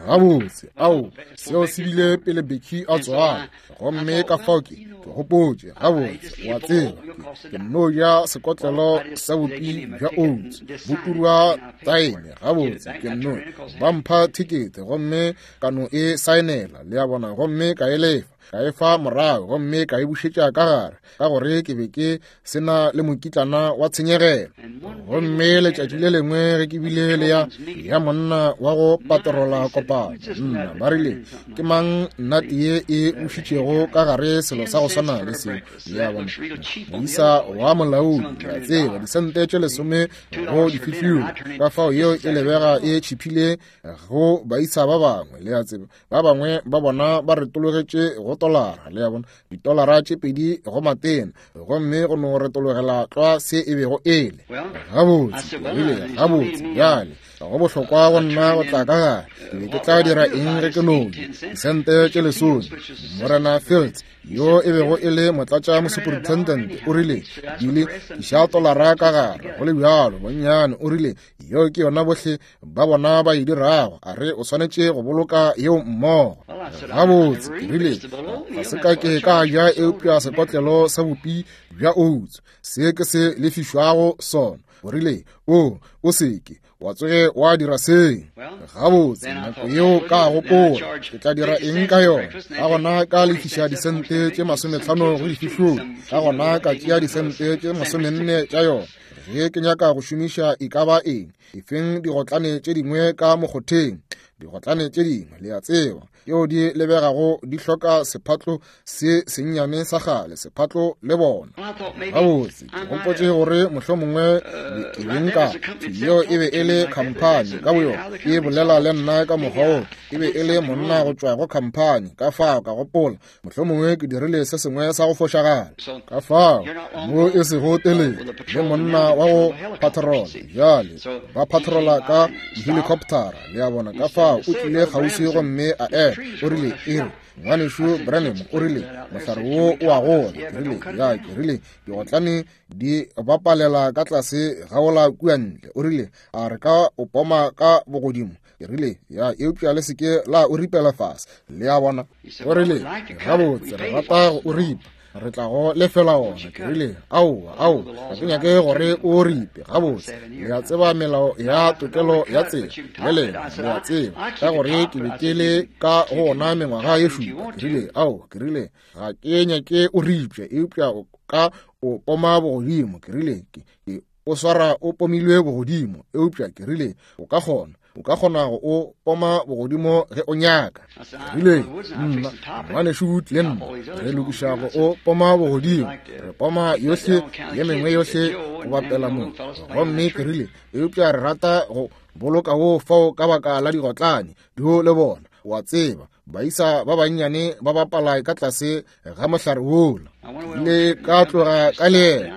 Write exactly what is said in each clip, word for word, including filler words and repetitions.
Gabotse, ao, seo se bile pele Becky a tswala. Gomme ka fao ke, ke gopotše, gabotse, wa tseba, ke, ke nno ja sekotlelo sa bupi bja oats, bo turwa taeme, gabotse, ke nno, ba mpha thekete, gomme ka no e saenela, le a bona, gomme ka e lefa, ka e fa morago, gomme ka e bušetša ka gare, ka gore ke be ke se na le mokitlana wa tshenyegelo. Gomme letšatši le lengwe ge ke bile le ya, ya monna wa go patrola kopano, nna ba rile, ke mang nnate ye e bušitšego ka gare selo sa go swana le seo? Le a bona, moisa wa molaodi, le a tseba, disente tše lesome go difihlolo, ka fao yeo e lebega e tšhiphile go baisa ba bangwe, le a tseba, ba bangwe ba bona ba retologetše go tolara, le a bona, ditolara tše pedi go matena, gomme go no retologela tlwa se e bego e le. Gabotse, ke rile, gabotse, bjale, go bohlokwa go nna go tla ka gare. Ke be ke tla dira eng ge ke no ja disente tše lesome? Morena Fields, yo e bego e le motlatša mosuperintendent, o rile, Billy, tliša tolara ka gare, go le bjalo, bonnyane, o rile, yeo ke yona bohle ba bona ba e dirago, a re o swanetše go boloka yeo mmogo. Gabotse, ke rile, ga se ka ke ka ja eupša sekotlelo sa bupi bja oats, se ke se lefišwago sona. O rile, o, o se ke wa tsoge wa dira se. Gabotse, nako yeo ka gopola, ke tla dira eng ka yona? Ka gona ka lefiša disente tše masometlhano go difihlolo, ka gona ka tšea disente tše masomenne tša yona. Ge ke nyaka go šomiša e ka ba eng, efeng digotlane tše dingwe ka mokgotheng, digotlane tše dingwe, le a tseba, tšeo di lebegago di hloka sephatlo se sennyane sa kgale, sephatlo le bona. Gabotse, ke gopotše gore mohlomongwe ke be nka, yeo e be e le khamphani ka boyona, e bolela le nna ka mokgwa wo, e be e le monna go tšwa go khamphani, ka fao ka gopola mohlomongwe ke dirile se sengwe sa go fošagala. Ka fao mo e sego telele le monna wa go patrola, bjale ba patrola ka helicoptera, le a bona, ka fao o tlile kgauswi gomme a ema, o rile, e re, ngwanešu Branham, o rile, mohlare wo o a gola. Ke rile, ya, ke rile, digotlane di bapalela ka tlase ga ola kua ntle. O rile, a re ka o poma ka bogodimo? Ke rile, ya, eupša le se ke la o ripela fase, le a bona. O rile, gabotse, re rata go o ripa, re tla go lefela ona. Ke rile, aowa, aowa, ga ke nyake gore o ripe. Gabotse, le a tseba melao ya tokelo ya tsela, le lena le a tseba, ka gore ke be ke le ka go ona mengwaga ye šupa. Ke rile, aowa, ke rile, ga ke nyake o ripše, eupša o ka o poma bogodimo. Ke rile, ke, ke o swara o pomilwe bogodimo, eupša ke rile, o ka kgona, o ka kgona go o poma bogodimo ge o nyaka. Ke rile, nna, ngwanešu Wood le nna re lokiša go o poma bogodimo, re poma yohle ye mengwe yohle go bapela mo. Gomme ke rile, eupša re rata go boloka wo fao ka baka la digotlane dio le bona, wa tseba, baisa ba bannyane ba bapala ka tlase ga mohlare wola. Le ka tloga ka leeto,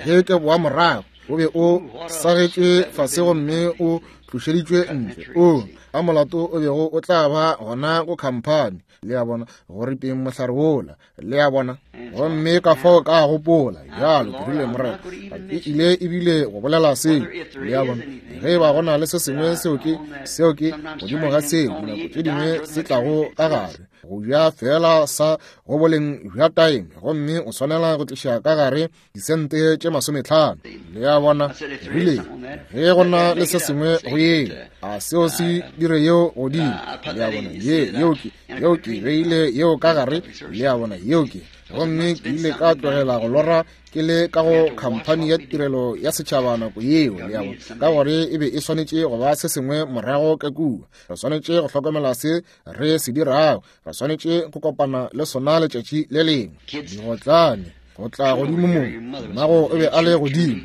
ge ke boa morago, o be o sagetšwe fase gomme o tlošeditšwe ntle. O, a molato o bego o tla ba gona go khamphani, le a bona, go ripeng mohlare wola, le a bona. Gomme ka fao ka gopola bjalo, ke rile, Morena, ga ke ile ebile go bolela seo, le a bona. Ge e ba go na le se sengwe seo ke, seo ke godimo ga seo, dinako tše dingwe se tlago ka gare, go ja fela sa go boleng bja taeme, gomme o swanela go tliša ka gare disente tše masometlhano, le a bona. Rile, ge go na le se sengwe go yeo, a seo se dire yeo godimo, le a bona, ye, yeo ke, yeo ke beile yeo ka gare, le a bona, yeo ke. Gomme ke ile ka tlogela go lora ke le ka go khamphani ya tirelo ya setšhaba nako yeo, le a bona, ka gore e be e swanetše go ba se sengwe morago ka kua. Re swanetše go hlokomela se re se dirago, re swanetše go kopana le sona letšatši le lengwe. Digotlane go tla godimo mo, mmago o be a le godimo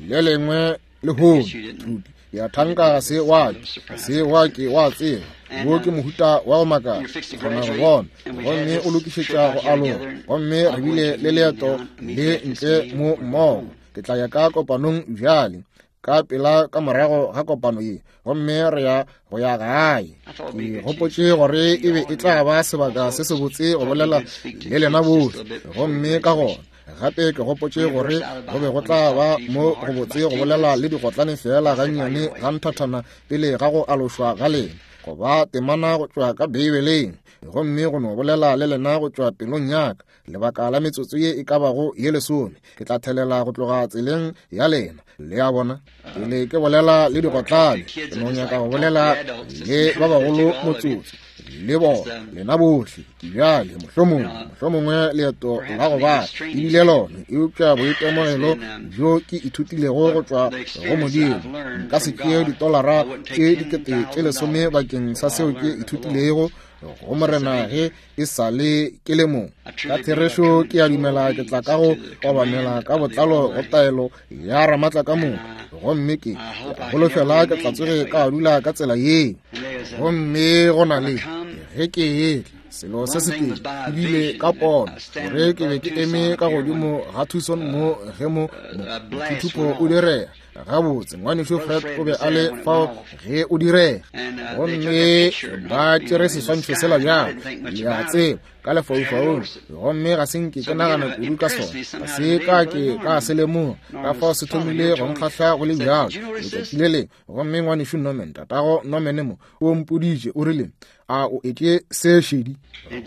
le lengwe lehono, Trudy, ke a thanka ga se wa ke, se wa ke wa tseba, wo ke mohuta wa go makatša, ke kgona go bona. Gomme o lokišetša go aloga, gomme re bile le leeto le ntle mo mmogo. Ke tla ya ka kopanong bjale, ka pela ka morago ga kopano ye, gomme re ya go ya gae. Ke gopotše gore e be e tla ba sebaka se sebotse go bolela le lena bohle, gomme ka gona gape ke gopotše gore go be go tla ba mo go botse go bolela le digotlane fela gannyane ga nthathana pele ga go alošwa ga lena. goba temana go tšwa ka Beibeleng, gomme go no bolela le lena go tšwa pelong ya ka lebaka la metsotso ye e ka bago ye lesome. Ke tla thelela go tloga tseleng ya lena. Le a bona, pele ke bolela le digotlane, ke no nyaka go bolela le ba bagolo motsotso le bona lena bohle. Bjale mohlomongwe mohlomongwe leeto la go bala ebile lona, eupša boitemogelo bjo ke ithutilego go tšwa go Modimo, nka se tšee ditolara tše dikete tše lesome bakeng sa seo ke ithutilego go Morena ge e sa le ke le mong. Ka therešo ke a dumela ke tla ka go obamela ka botlalo go taelo ya Ramatla ka moka, gomme ke holofela ke tla tsoge ka dula ka tsela ye. Gomme go na le ge ke etla selo se setee ebile ka pono gore ke be ke eme ka godimo ga Tucson mo ge mo mothuthupo o direga. Gabotse ngwanešu Fred o be a le fao ge o direga, gomme ba tšere seswantšho sela bjalo, le a tseba, ka lefaufaung, gomme ga se nke ke nagana kudu ka sona, ga se ka ke ka se lemoga ka fao se thomile go nkgahla go le bjalo letšatši le lengwe. Gomme ngwanešu Norman, tatago Norman mo, o mpoditše, o rile, a o etše se šedi?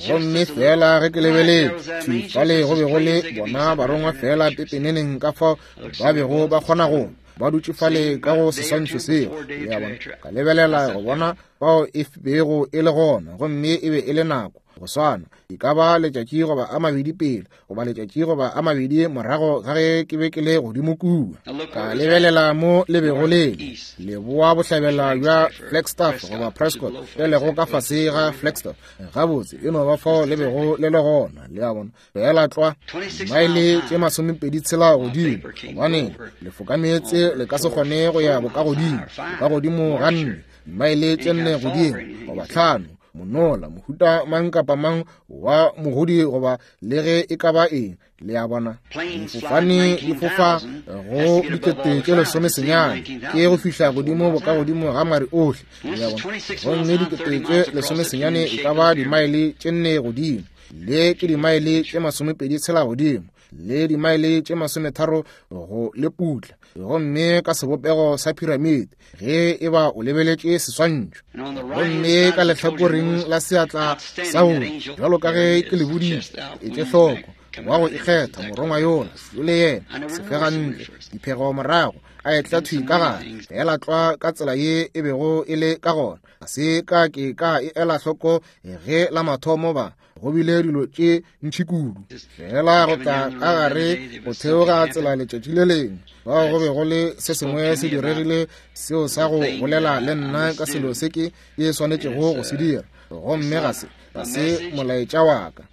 Gomme fela ge ke lebeletše fale go be go le bona barongwa fela pepeneneng ka fao ba bego ba kgona go ba dutše fale ka go seswantšho seo. Le a bona, ka lebelela go bona fao e bego e le gona, gomme e be e le nako go swana, e ka ba letšatši goba a mabedi pele goba letšatši goba a mabedi morago ga ge ke be ke le godimo kua. Ka lebelela mo le bego le leboa bohlabela bja Flagstaff goba Prescott, le lego ka fase ga Flagstaff. Gabotse e no ba fao le bego le le gona. Le a bona, fela tlwa maele tše masomepedi tshela godimo, gobane lefokameetse le ka se kgone go ya bokagodimo bokagodimo ga nne maele tše nne godimo goba tlhano, monola mohuta mang kapa mang wa mogodi goba le ge e ka ba eng. Le a bona, difofane di fofa go dikete tše lesome senyane ke go fihla godimo bokagodimo ga mare ohle. Le a bona, gomme dikete tše lesome senyane e ka ba dimaele tše nne godimo, le ke dimaele tše masomepedi tshela godimo, le dimaele tše masometharo go le putla, gomme ka sebopego sa piramide ge e ba o lebeletše seswantšho. Gomme ka lehlakoreng la seatla sa go bjalo ka ge ke le boditše, etše hloko wa go ikgetha morongwa yola le yena sefegantle diphego morago a etla thwi ka gare, fela tlwa ka tsela ye e bego e le ka gona. Ga se ka ke ka e ela hloko ge la mathomo ba go bile dilo tše ntši kudu, fela go tla ka gare go theoga tsela letšatši le lengwe bao go be go le se sengwe se diregile seo sa go bolela le nna ka selo se ke ke swanetšego go se dira, gomme ga se ga se molaetša wa ka.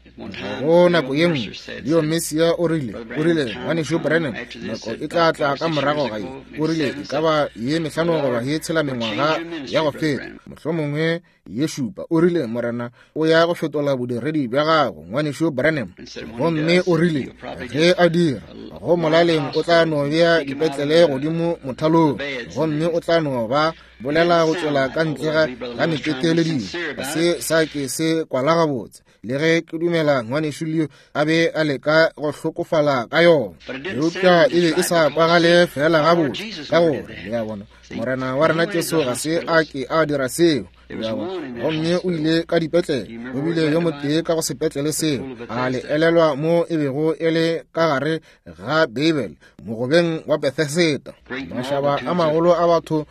Go nako ye nngwe Leo Messia o rile, o rile, ngwanešu Branham, nako e tla tla ka morago ga ye, o rile, e ka ba ye mehlano goba ye tshela mengwaga ya go feta, mohlomongwe ye šupa, o rile, Morena o ya go fetola bodiredi bja gago, ngwanešu Branham. Gomme o rile, ge a dira, go molaleng o tla no bea dipetlele godimo mothalong, gomme o tla no ba bolela go tšwela ka ntle ga ga mekete le dilo. Ga se sa ke se kwala gabotse, le ge ke dumela ngwanešu Leo a be a leka go hlokofala ka yona, eupša e be e sa kwagale fela gabotse, ka gore le a bona, Morena wa rena Jesu ga se a ke a dira seo. Gomme o ile ka dipetlele, o bile yo motee ka go sepetlele seo, a le elelwa mo e bego e le ka gare ga Beibele mogobeng wa Bethesda. Mašaba a magolo a batho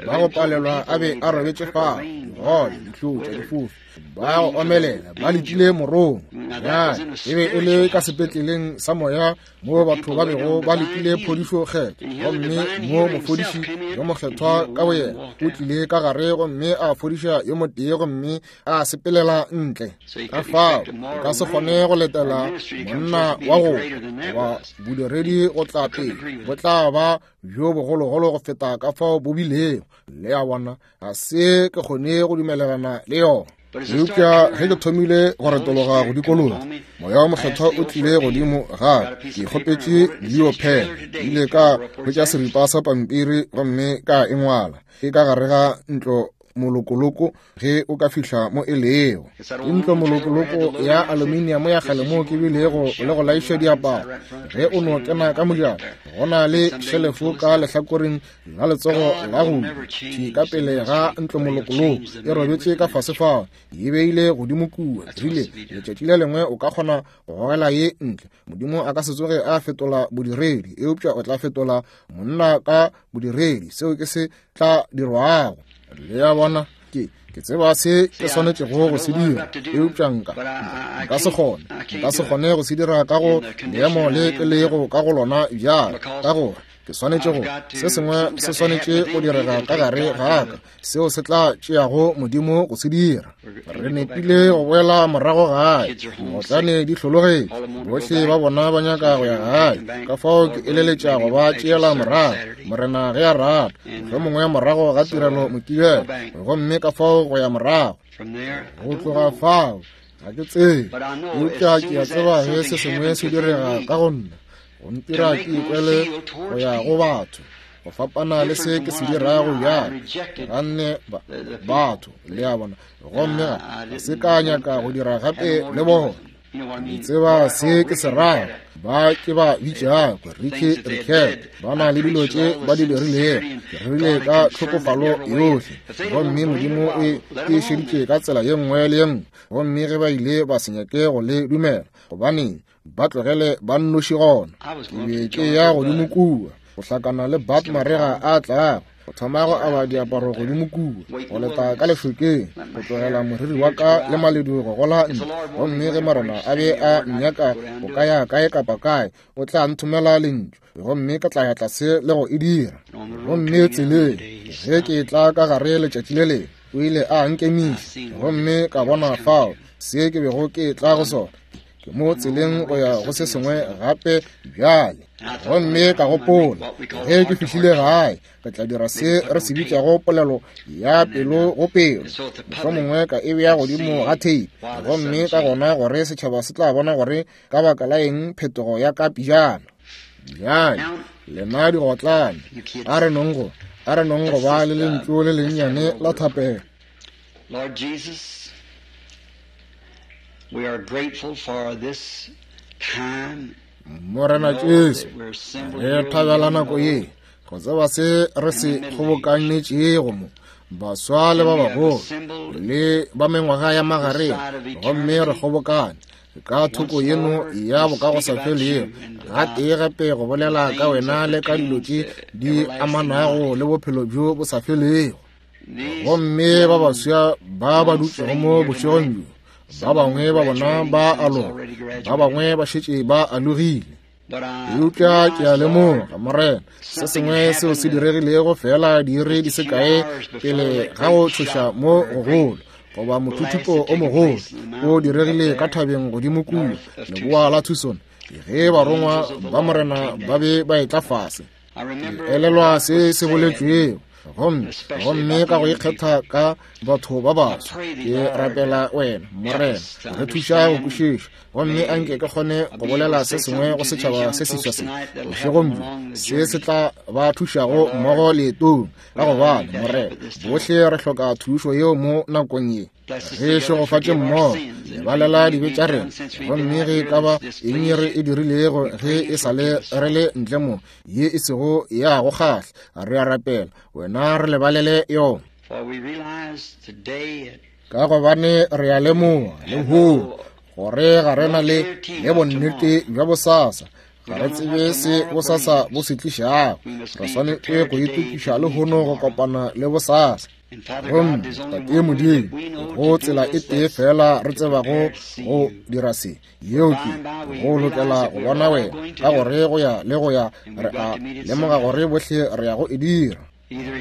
ba go palelwa a be a robetše fao, digole, dihlotša, difofu, ba go omelela, ba letile morongwa. Bjale e be e le ka sepetleleng sa moya mo batho ba bego ba letile phodišo kgethwa, gomme mo mofodiši yo mokgethwa ka boyena o tlile ka gare gomme a fodiša yo motee gomme a sepelela ntle. Ka fao o ka se kgone go letela monna wa go goba bodiredi go tla pele, bo tla ba bjo bogologolo go feta ka fao bo bilego. Le a bona, ga se ke kgone go dumelelana le yona. Eupša ge ke thomile go retologa go dikologa, moya wa mokgethwa o tlile godimo gape. Ke kgopetše Leo pen, ile ka hwetša seripa sa pampiri gomme ka e ngwala. Ke ka gare ga ntlo molokoloko ge o ka fihla mo e lego. Ke ntlo molokoloko ya aluminium ya kgale moo ke bilego le go laiša diaparo. Ge o no kena ka mojako, go na le šelefo ka lehlakoreng la letsogo la go ja, ka pele ga ntlo molokoloko e robetše ka fase fao, e beile godimo kua. Rile letšatši le lengwe o ka kgona go gogela ye ntle. Modimo a ka se tsoge a fetola bodiredi, eupša o tla fetola monna ka bodiredi. Seo ke se tla dirwago. Le a bona, ke ke tseba se ke swanetšego go se dira, eupša nka nka se kgone nka se kgone go se dira ka go leemo le ke lego ka go lona bjale, ka gore ke swanetše go se sengwe se swanetše go direga ka gare ga ka, seo se tla tšeago Modimo go se dira. Re nepile go boela morago gae, motlane di hlologetše, bohle ba bona ba nyaka go ya gae. Ka fao ke eleletša go ba tšeela morago, Morena ge a rata, mohlomongwe morago ga tirelo Mokibelo, gomme ka fao go ya morago. Go tloga fao ga ke tsebe, eupša ke a tseba ge se sengwe se direga ka go nna, go ntira ke ikwele go ya go batho, go fapana le se ke se dirago bjale. Ganne batho, le a bona, gomme ga se ka nyaka go dira gape le bona. Le tseba se ke se rago, ba ke ba bitšago Ricky Ricket, ba na le dilo tše ba di dirilego. Ke rerile ka tlhokofalo yohle, gomme Modimo e e šeditše ka tsela ye nngwe le ye nngwe. Gomme ge ba ile ba se nyake go le dumela, gobaneng ba tlogele ba nnoši gona. Ke be ke ya godimo kua go hlakana le Bat marega a tlago, go thoma go aba diaparo godimo kua, go leta ka lešokeng, go tlogela moriri wa ka le maledu go gola ntle. Gomme ge Morena a be a nnyaka go ka ya kae kapa kae, o tla nthomela lentšu, gomme ka tla ya tlase le go e dira. Gomme tseleng ge ke tla ka gare letšatši le lengwe, o ile a nkemiša, gomme ka bona fao se ke bego ke tla go sona. Ke mo tseleng go ya go se sengwe gape bjale. Gomme ka gopola, ge ke fihlile gae, ke tla dira se re se bitšago polelo ya pelo go pelo, mohlomongwe ka e bea godimo ga tape, gomme ka gona gore setšhaba se tla bona gore ka baka la eng phetogo ya ka pejana. Bjale lena digotlane, a re nong go a re nong go ba le lentšu le lennyane la thapelo. Lord Jesus, we are grateful for this time. Morena Jesu, re thabela nako ye, go tseba se re se kgobokanetšego mo, baswa le ba bagolo le ba mengwaga ya magareng, gomme re kgobokane ka thoko yeno ya bokagosafelego gatee gape go bolela ka wena le ka dilo tše di amanago le bophelo bjo bo sa felego. Gomme ba baswa ba ba dutšego mo bošegong bjo, ba bangwe ba bona ba aloga, ba bangwe ba šetše ba alogile. Eupša ke a lemoga, Morena, se sengwe seo se diregilego fela diiri di se kae pele ga go tšhoša mo gogolo, goba mothuthupo o mogolo o diregile ka thabeng godimo kua leboa la Tucson, ge barongwa ba Morena ba be ba etla fase. Ke elelwa se se boletšwego, gomme gomme ka go ikgetha ka batho ba baswa, ke rapela wena Morena re thuša go kwešiša, gomme anke ke kgone go bolela se sengwe go setšhaba se seswa se bošegong bjo, se se tla ba thušago mmogo leetong, ka gobane Morena bohle re hloka thušo yeo mo nakong ye. Re šegofatše mmogo, lebalela dibe tša rena, gomme ge e ka ba eng re e dirilego ge e sa le re le ntle mo, ye e sego ya go kgahla, re a rapela wena re lebalele yona. Ka gobane re a lemoga lehono gore ga re na le le bonnete bja bosasa, ga re tsebe se bosasa bo se tlišago. Re swanetše go itokiša lehono go kopana le bosasa. Gomme Tate Modimo, go tsela e tee fela re tsebago go dira se, yeo ke go lokela go bona wena, ka gore go ya le go ya re a lemoga gore bohle re ya go e dira.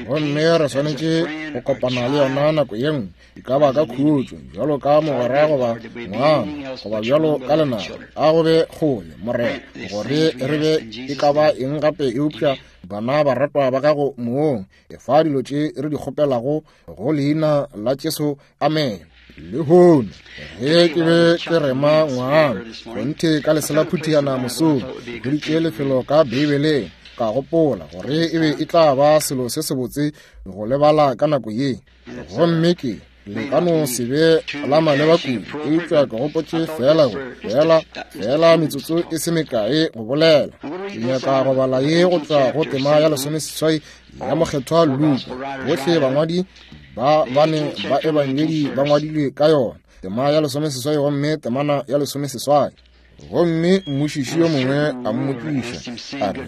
Gomme re swanetše go kopana le yona nako ye nngwe, e ka ba ka khutšo, bjalo ka mogwera goba ngwana, goba bjalo ka lenaba. A go be kgole, Morena, gore re be e ka ba eng gape eupša bana ba ratwa ba gago moong. Efa dilo tše re di kgopelago go leina la Jesu, amen. Lehono ge ke be ke rema ngwana kgonthe ka leselaphutiana mosong, ke hweditše lefelo ka Beibeleng, Ka gopola gore e be e tla ba selo se sebotse go lebala ka nako ye. Gomme ke le ka no se be la maleba kudu, eupša ke gopotše fela go fela fela metsotso e se mekae go bolela. Ke nyaka go bala ye go tšwa go tema ya lesomeseswai ya Mokgethwa Luka. Bohle bangwadi ba bane ba ebangedi ba ngwadilwe ka yona. Tema ya lesomeseswai gomme temana ya lesomeseswai. Gomme mmušiši yo mongwe a mmotšiša a re,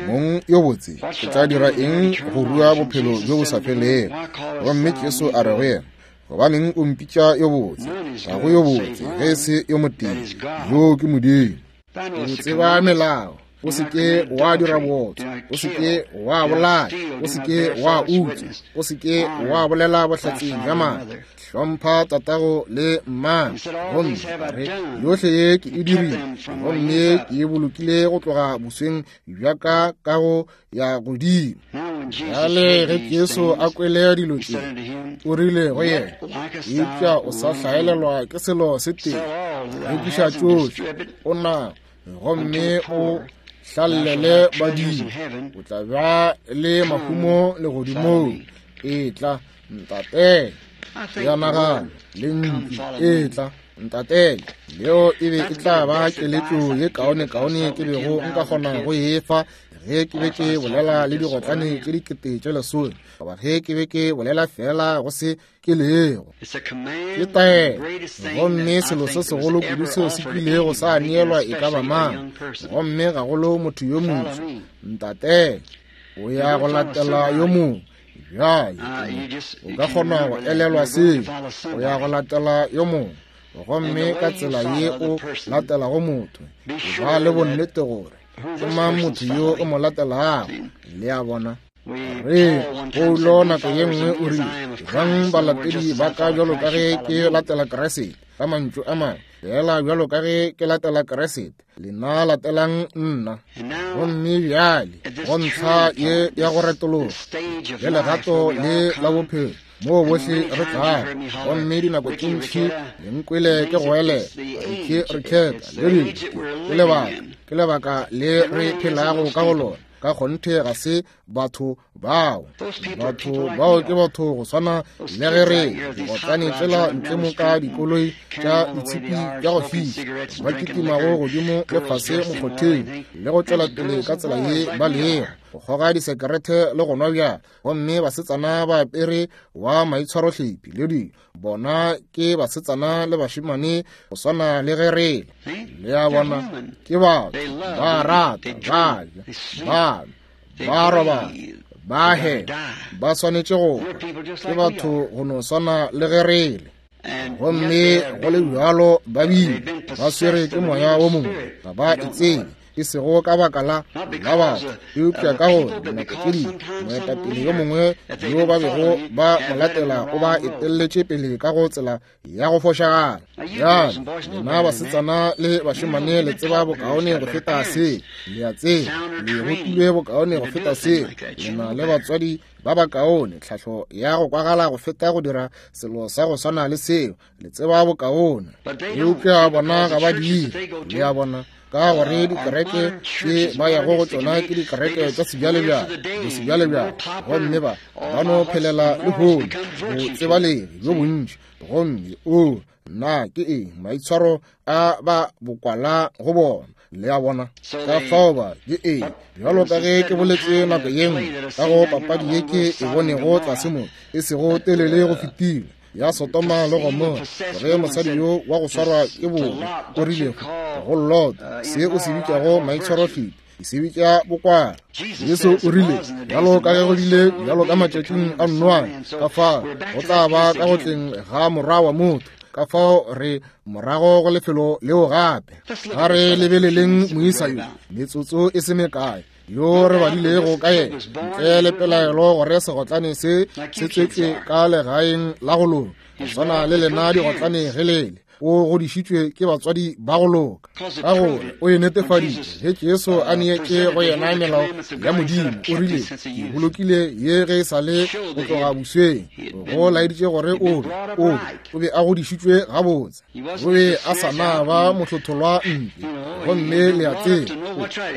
Mong yo botse, ke tla dira eng go rua bophelo bjo bo sa felego? Gomme Jesu a re go yena, gobaneng o mpitša yo botse? Ga go yo botse ge e se yo motee, yoo ke Modimo. O tseba melao. O se ke wa dira bootswa, o se ke wa bolaya, o se ke wa utswa, o se ke wa bolela bohlatse bja maaka, hlompha tatago le mmago. Gomme a re, yohle ye ke e dirile, gomme ke e bolokile go tloga bosweng bja ka ka go ya godimo. Bjale ge Jesu a kwele dilo tše, o rile go yena, eupša o sa hlaelelwa ke selo se tee, rekiša tšohle o na, gomme o hlallele badimo, o tla ba le mahumo legodimong. Etla ntatele. Ya nagana lentšu etla ntatele, leo e be e tla ba keletšo ye kaonekaone ke bego nka kgona go e fa ge ke be ke bolela le digotlane tše dikete tše lesome, goba ge ke be ke bolela fela go se ke lego. Ke taelo, gomme selo se segolo kudu seo se kilego sa neelwa e ka ba mang, gomme gagolo motho yo moswa. Ntatele, o ya go latela yo mongwe. Bjale o ka kgona go elelwa seo, o ya go latela yo mongwe, gomme ka tsela ye o latelago motho, ba le bonnete gore ke mang motho yo o mo latelago. Le a bona? Re Paulo nako ye nngwe o rile, bang balatedi ba ka bjalo ka ge ke latela Kriste. Ka mantšu a mangwe, fela bjalo ka ge ke latela Kriste, lena latelang nna. Gomme bjale go ntlha ye ya go retologa le legato le la bophelo moo bohle re tlago, gomme dinako tše ntši le nkwele ke go elela ke re khetha le dilo. Ke lebaka ke lebaka le re phelago ka go lona. Ka kgonthe ga se batho bao. Batho bao ke batho go swana le ge re digotlane tsela ntle mo ka dikoloi tša ditshipi tša go fiša, ba kitimago godimo le fase mokgotheng le go tšwela pele ka tsela ye ba lego, go kgoga disekerete le go nwa bjala, gomme basetsana ba apere wa maitshwarohlephi le dilo. Bona ke basetsana le bašemane go swana le ge re le a bona, ke batho ba rata, ba ja, ba nwa, ba robala, ba hema, ba swanetše go hwa. Ke batho go no swana le ge re le. Gomme go le bjalo ba bile ba swere ke moya wo mongwe, ga ba e tsebe, e sego ka baka la la batho, eupša ka gore dinako tše dingwe moetapele yo mongwe yo ba bego ba mo latela o ba etelletše pele ka go tsela ya go fošagala. Bjale lena basetsana le bašemane le tseba bokaone go feta se, le a tseba, le rutilwe bokaone go feta se, lena le batswadi ba bakaone, tlhahlo ya go kwagala go feta go dira selo sa go swana le seo, le tseba bokaone. Eupša bona ga ba dire. Le a bona? Ka gore dikereke tše ba yago go tšona ke dikereke tša sebjalebjale, bosebjalebjale, gomme ba ba no phelela lehono botsebalegi bjo bontši. Gomme o na ke eng maitshwaro a ba bokwala go bona? Le a bona? Ka fao ba ke eng, bjalo ka ge ke boletše nako ye nngwe ka go papadi ye ke e bonego tlase mo e sego telele go fetile, ya Sodoma le Gomora, ge mosadi yo wa go swarwa ke bobe o rile go Lota, se o se bitšago maitshwarohlephi, ke se bitša bokwala. Jesu o rile, bjalo ka ge go bile bjalo ka matšatšing a Noa, ka fao go tla ba ka go tleng ga Morwa wa motho. Ka fao re morago go lefelo leo gape. Ga re lebeleleng moisa yo metsotso e se mekae yo re badilego ka yena, ntle le pelaelo gore segotlane se se tswetšwe ka legaeng la go loka, go swana le lena digotlane ge lele. O godišitšwe ke batswadi ba go loka, ka gore o e netefaditše ge Jesu a neetše go yena melao ya Modimo. O rile, ke bolokile ye ge e sa le go tloga bosweng. Go laeditše gore o be o o be a godišitšwe gabotse, o be a sa na ba mohlotholwa ntle. Gomme le a tseba,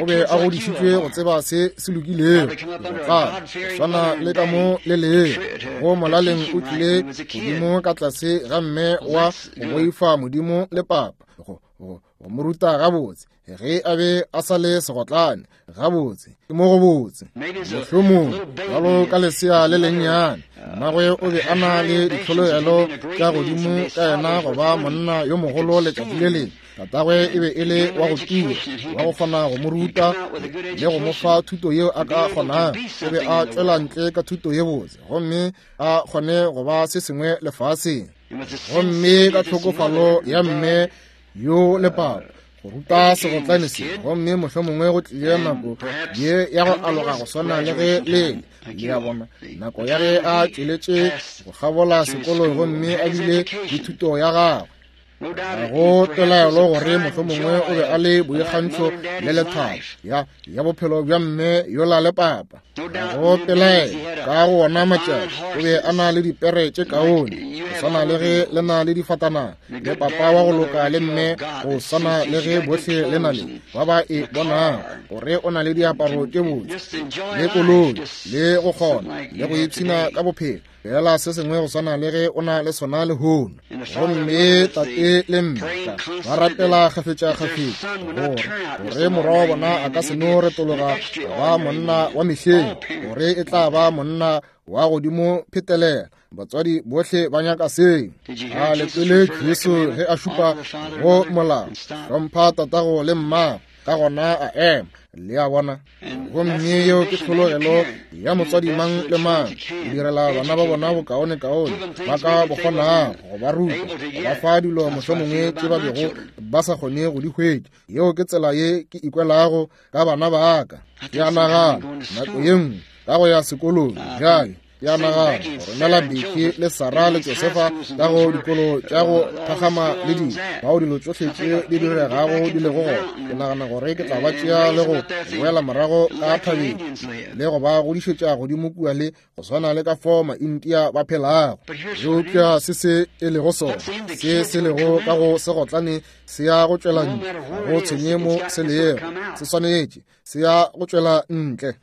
o be a godišitšwe go tseba se se lokilego, go tla swana le ka mo le lego. Go molaleng o tlile godimo ka tlase ga mme wa go boifa Modimo le papa, go go go mo ruta gabotse ge a be a sa le segotlane. Gabotse ke mo go botse, mohlomong bjalo ka lesea le lennyane. Mmagwe o be a na le ditlhologelo tša godimo ka yena go ba monna yo mogolo letšatši le lengwe. Tatagwe e be e le wa go tura, wa go kgona go mo ruta le go mo fa thuto yeo a ka kgonago. O be a tšwela ntle ka thuto ye botse gomme a kgone go ba se sengwe lefaseng. Gomme ka tlhokofalo ya mme yo le papa go ruta segotlane se, gomme mohlomongwe go tlile nako ye ya go aloga go swana le ge le le a bona, nako ya ge a tšweletše go kgabola sekolo gomme a bile le thuto ya gagwe. Ga go pelaelo gore mohlomongwe o be a le boikgantšho le lethabo ya ya bophelo bja mme yola le papa. Ga go pelaelo ka go wona matšatši o be a na le dipere tše kaone, go swana le ge le na le difatanaga, le papa wa go loka le mme, go swana le ge bohle le na le ba ba e bonago gore o na le diaparo tše botse le koloi le go kgona le go ipshina ka bophelo, fela se sengwe go swana le ge o na le sona lehono. Gomme tate le mme ba rapela kgafetša-kgafetša gore gore morwa wa bona a ka se no retologa ba monna wa mehleng, gore e tla ba monna wa godimo phetelela. Batswadi bohle ba nyaka seo. A le kwele Jesu ge a šupa go molao, hlompha tatago le mmago, ka gona a ema. Le a bona? Gomme yeo ke tlhologelo ya motswadi mang le mang, go direla bana ba bona bokaonekaone ba ka bo kgonago, go ba ruta, go ba fa dilo mohlomongwe tše ba bego ba sa kgone go di hwetša. Yeo ke tsela ye ke ikwelago ka bana ba ka. Ke a nagana nako ye nngwe ka go ya sekolong bjale, ke a nagana go romela Becky le Sarah le Josefa ka go dikolo tša go phagama le dilo, bao dilo tšohle tše di diregago di lego gona. Ke nagana gore ke tla ba tšea le go boela morago ka thabeng le go ba godišetša godimo kua le go swana le ka fao Maindia ba phelago. Eupša se se e lego sona, se se lego ka go segotlane se ya go tšwela ntle, ga go tshwenye mo se lego, se swanetše se ya go tšwela ntle.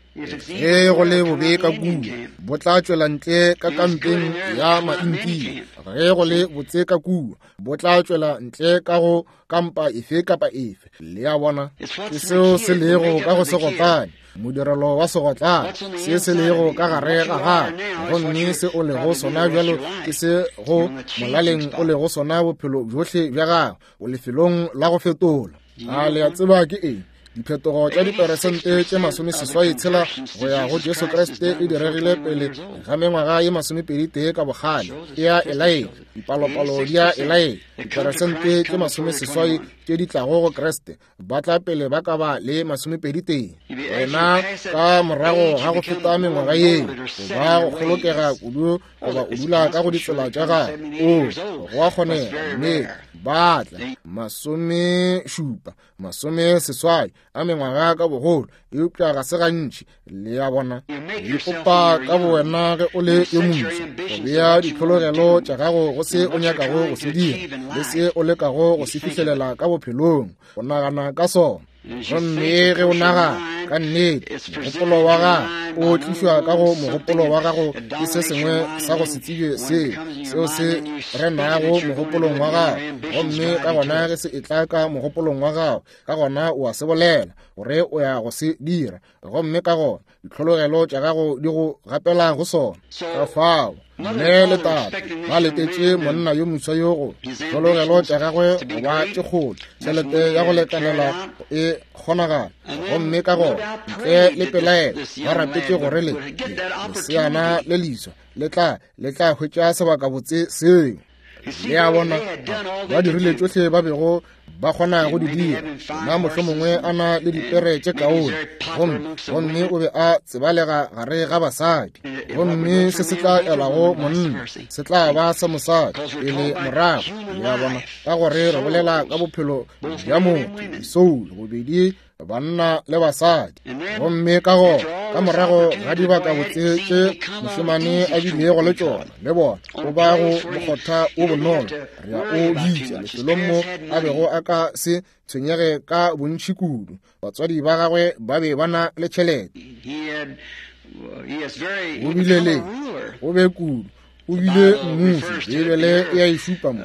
Ge go le bobe ka kua, bo tla tšwela ntle ka kampeng ya Maindia. Ge go le botse ka kua, bo tla tšwela ntle ka go kampa efe kapa efe. Le a bona? Ke seo se lego ka go segotlane, modirelo wa segotlane, se se lego ka gare ga gago. Gomme se o lego sona bjalo ke se go molaleng o lego sona bophelo bjohle bja gago. O lefelong la go fetola. A le a tseba ke eng? Diphetogo tša diperesente tše masomeseswai tshela go ya go Jesu Kriste e diregile pele ga mengwaga ye masomepedi tee ka bokgale. E a e laetša, dipalopalo di a e laetša. Diperesente tše masomeseswai tše di tlago go Kriste ba tla pele ba ka ba le masomepedi tee. Wena ka morago ga go feta mengwaga yeo, goba go kgolokega kudu goba o dula ka go ditsela tša gago, o go a kgonega, mme ba tla masomešupa masomeseswai a mengwaga ka bogolo, eupša ga se gantši. Le a bona? O ipopa ka bowena ge o le yo moswa, go bea ditlhologelo tša gago go se o nyakago go se dira le se o lekago go se fihlelela ka bophelong, go nagana ka sona. Gomme ge o nagana ka nnete, mogopolo wa gago o tlišwa ka go mogopolo wa gago ke se sengwe sa go se tsebe seo seo se renago mogopolong wa gago. Gomme ka gona ge se etla ka mogopolong wa gago, ka gona o a se bolela gore o ya go se dira. Gomme ka gona ditlhologelo tša gago di go gapela go sona. Ka fao mme le tate ba letetše monna yo moswa yo go ditlhologelo tša gagwe go ba tše kgolo, tšhelete ya go lekanela e kgonagala. Gomme ka gona ntle le pelaelo ba rapetše gore le leseana le leswa le tla le tla hwetša sebakabotse seo. Le a bona, ba dirile tšohle ba bego ba kgona go di dira. Na mohlomongwe a na le dipere tše kaone, gomme gomme o be a tsebalega gare ga basadi. Gomme se se tla elago monna se tla ba sa mosadi pele morago. Le a bona, ka gore re bolela ka bophelo bja motho, disoulo, bobedi banna le basadi. Gomme ka go ka morago ga dibaka botse tše mošemane a bilego le tšona, le bona o ba go mokgotha o bonolo, re a o bitša lefelong mo a bego a ka se tshwenyege ka bontši kudu. Batswadi ba gagwe ba be ba na le tšhelete. O bile le o be kudu, o bile mmuši. Bibele e a e šupa mo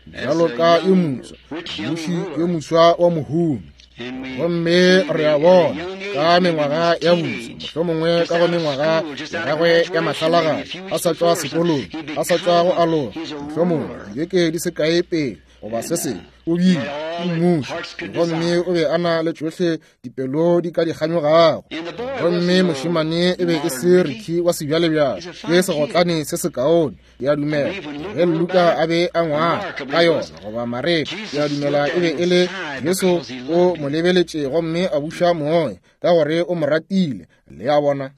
bjalo ka yo moswa, mmuši yo moswa wa mohumi. Gomme re a bona ka mengwaga ya boso, mohlomongwe ka go mengwaga ya gagwe ya mahlalagadi, a sa tšwa sekolong, a sa tšwa go aloga, mohlomongwe dibeke di se kae pele goba se sengwe, o bile mmuši. Gomme o be a na le tšohle dipelo di ka di kganyogago. Gomme mošemane e be e se Ricky wa sebjalebjale, ke segotlane se sekaone. Ke a dumela ge Luka a be a ngwala ka yona, goba Mareka, ke a dumela e be e le Jesu o mo lebeletše gomme a buša moya ka gore o mo ratile. Le a bona,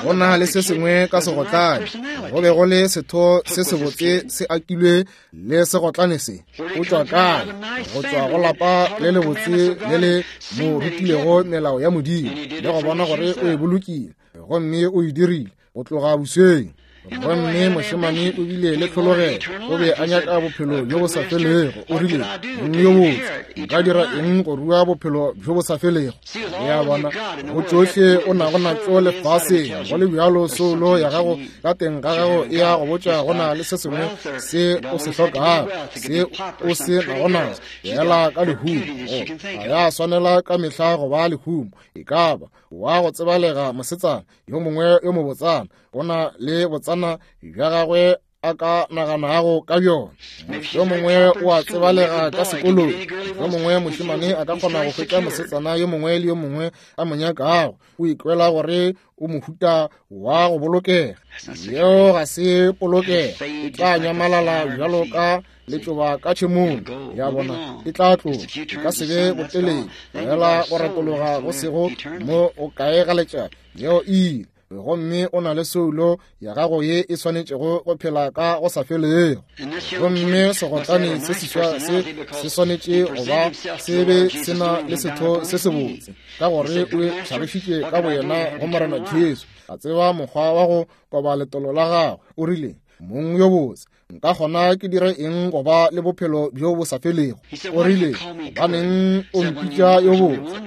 go na le se sengwe ka segotlane. Go be go le setho se sebotse se akilwe le segotlane se. O tšwa kae? Go tšwa go lapa le lebotse le le mo rutilego melao ya Modimo, le go bona gore o e bolokile, gomme o e dirile go tloga bosweng. Gomme mošemane o bile le tlhologelo, o be a nyaka bophelo bjo bo sa felego. O rile, mong yo botse, nka dira eng go rua bophelo bjo bo sa felego? Le a bona, go tšohle o nago natšo lefaseng, go le bjalo soulo ya gago ka teng ga gago e ya go botša go na le se sengwe se o se hlokago, se o se nago naso. Fela ka lehumo, ga ya swanela ka mehla go ba lehumo. E ka ba wa go tsebalega mosetsana yo mongwe yo mobotsana, go na le botsana bja gagwe a ka naganago ka bjona. Yo mongwe o a tsebalega ka sekolong, yo mongwe mošemane a ka kgona go hwetša mosetsana yo mongwe le yo mongwe a mo nyakago. O ikwela gore o mohuta wa go bolokega. Yeo ga se polokego, e tla nyamalala bjalo ka letšoba ka tšhemong. Ya bona, e tla tloga, e ka se be botelele, fela go retologa go sego mo o kae ga letšatši. Yeo e ile. Gomme o na le soulo ya gago ye e swanetšego go phela ka go sa felego. Gomme segotlane se seswa se se swanetše go ba se be se na le setho se sebotse, ka gore o hlagišitše ka boyena go Morena Jesu, a tseba mokgwa wa go koba letolo la gagwe. O rile, mong yo botse, nka kgona ke dire eng go ba le bophelo bjo bo sa felego? O rile, gobaneng o mpitša yo botse?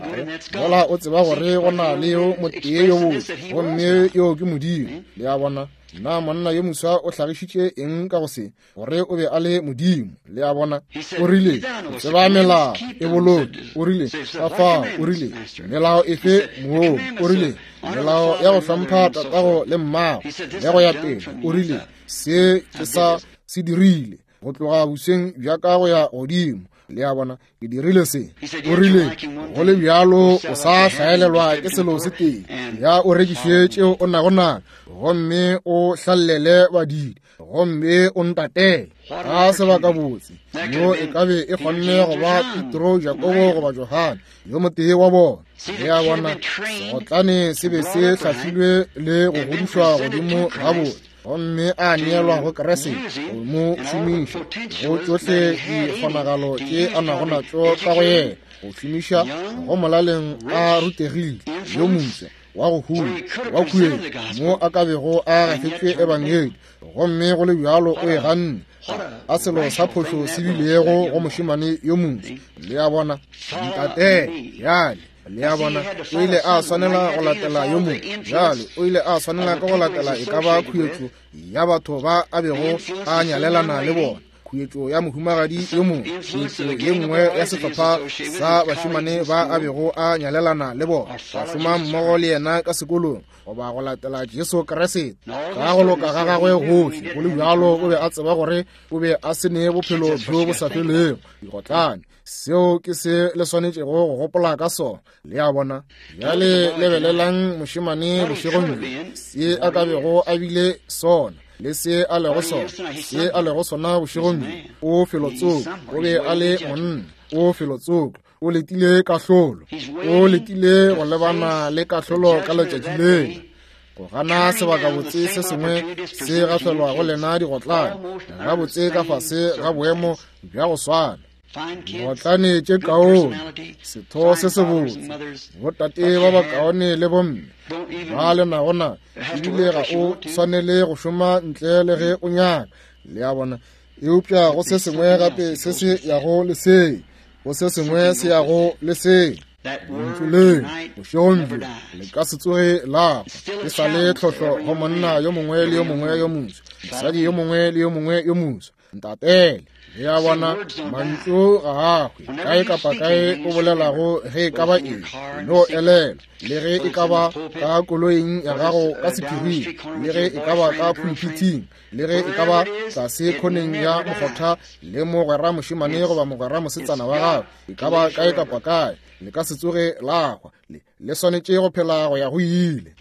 Mola o tseba gore go na le yo motee yo botse, gomme yo ke Modimo. Le a bona, na monna yo moswa o hlagišitše eng ka go se? Gore o be a le Modimo. Le a bona, o rile, o tseba melao, e boloke. O rile, ka fao. O rile, melao efe moo? O rile, melao ya go hlompha tatago le mmago, le go ya pele. O rile, se ke sa se dirile go tloga bosweng bja ka go ya godimo. Le a bona, ke dirile se. O rile, go le bjalo o sa hlaelelwa ke selo se tee, ya o rekiše tšeo o nago nayo, gomme o hlallele badidi, gomme o ntatele. Ka sebaka botse yo e ka be e kgonne go ba Petro, Jakobo goba Johane, yo motee wa bona. Le a bona, segotlane se be se hlahlilwe le go godišwa godimo gabotse, gomme a neelwa go Kriste go mo šomiša go tšohle dikgonagalo tše a nago natšo ka go yena, go šomiša go molaleng a rutegile, yo moswa wa go huma wa khuetšo, mo a ka bego a gafetšwe ebangedi, gomme go le bjalo o e ganne. A selo sa phošo se bilego go mošemane yo moswa. Le a bona, ntatele bjale. Le a bona, o ile a swanela go latela yo mongwe. Bjale o ile a swanela ka go latela e ka ba khuetšo ya batho ba a bego a nyalelana le bona, khuetšo ya mohumagadi yo mongwe, khuetšo ye nngwe ya sehlopha sa bašemane ba a bego a nyalelana le bona, ba šoma mmogo le yena ka sekolong, goba go latela Jesu Kriste ka go loka ga gagwe gohle. Go le bjalo o be a tseba gore o be a se ne bophelo bjo bo sa felego. Digotlane, seo ke se le swanetšego go gopola ka sona. Le a bona, bjale lebelelang mošemane bošegong bjo, se a ka bego a bile sona. Le se a lego sona, se a lego sona bošegong bjo, o felotsoko. O be a le monna, o felotsoko. O letile kahlolo, o letile go lebana le kahlolo ka letšatši lela. Go gana sebakabotse se sengwe se gafelwa go lena digotlane, gabotse ka fase ga boemo bja go swana. Digotlane tše kaone, setho se sebotse, botate ba bakaone le bomme ba le nagona, ebile ga o swanele go šoma ntle le ge o nyaka, le a bona. Eupša go se sengwe gape se se yago le se, go se sengwe se yago le se. Lentšu le bošegong bjo le ka se tsoge la hwa. E sa le tlhohlo go monna yo mongwe le yo mongwe yo moswa, mosadi yo mongwe le yo mongwe yo moswa. Ntatele, le a bona, mantšu ga a hwe. Kae kapa kae o bolelago ge e ka ba eng, no elela. Le ge e ka ba ka koloing ya gago ka sephiring, le ge e ka ba ka pulpiting, le ge e ka ba tlase khoneng ya mokgotha le mogwera mošemane goba mogwera mosetsana wa gago, e ka ba kae kapa kae, le ka se tsoge la hwa. Le, le swanetše go phela go ya go ile.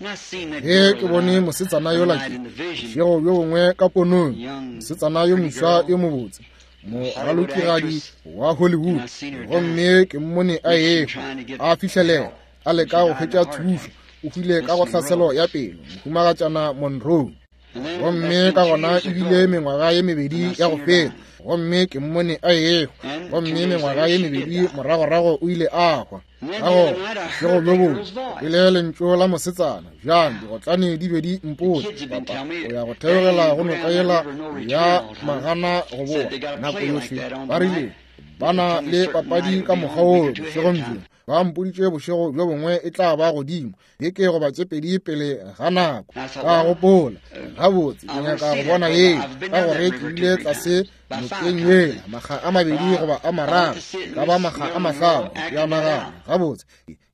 Ge ke bone mosetsana yola ke bošego bjo bongwe ka ponong, mosetsana yo moswa yo mobotse, moralokigadi wa Hollywood, gomme ke mmone a ehwa, a fihlelela, a leka go hwetša thušo, o hwile ka go hlaselo ya pelo, mohumagatšana Monroe. Gomme ka gona ebile mengwaga ye mebedi ya go feta, gomme ke mmone a ehwa, gomme mengwaga ye mebedi moragorago o ile a hwa. Ka gona bošego bjo bongwe ke kwele lentšu la mosetsana, bjang digotlane di be di mpotša, papa o ya go theogela go noka yela ya magana go boa nako yohle. Ba rile ba na le papadi ka mokgwa woo bošegong bjo. Ba mpoditše bošego bjo bongwe e tla ba godimo beke goba tše pedi pele ga nako. Ka gopola, gabotse ke nyaka go bona yeo, ka gore ke ile tlase nokeng yela makga a mabedi goba a mararo, ka ba makga a mahlano, ke a nagana gabotse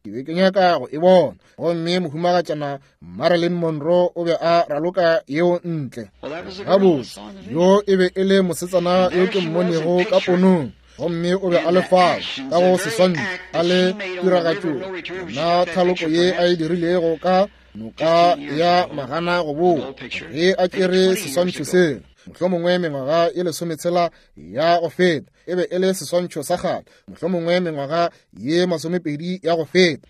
ke be ke nyaka go e bona. Gomme mohumagatšana Marilyn Monroe o be a raloka yeo ntle. Gabotse yo e be e le mosetsana yo ke mmonego ka ponong, gomme o be a le fao ka go seswantšho, a le tiragatšong na thaloko ye a e dirilego ka noka ya magana go boa, ge a tšere seswantšho sela mohlomongwe mengwaga ye lesometshela ya go feta. E be e le seswantšho sa kgale, mohlomongwe mengwaga ye masomepedi ya go feta.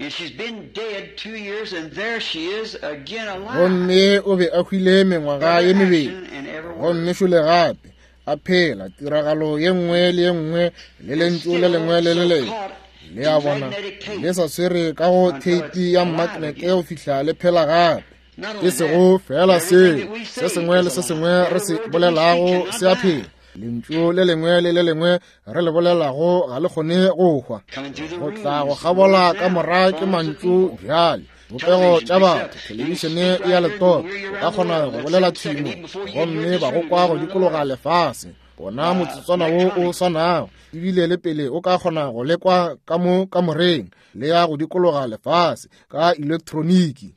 Gomme o be a hwile mengwaga ye mebedi, gomme šole gape a phela tiragalo ye nngwe le ye nngwe le lentšu le lengwe le le lengwe. Le a bona, le sa swere ka go theipi ya mmaknete go fihla le phela gape. E sego fela seo, se sengwe le se sengwe re se bolelago se a phela. Lentšu le lengwe le le lengwe re le bolelago ga le kgone go hwa. Go tla go kgabola ka mora ke mantšu bjale. Bopego tša batho, thelebišene ya letopa, o ka kgona go bolela thimo, gomme ba go kwa go dikologa lefase. Ona motsotswana wo o swanago, ebile le pele o ka kgona go lekwa ka mo kamoreng, le ya go dikologa lefase ka elektroniki.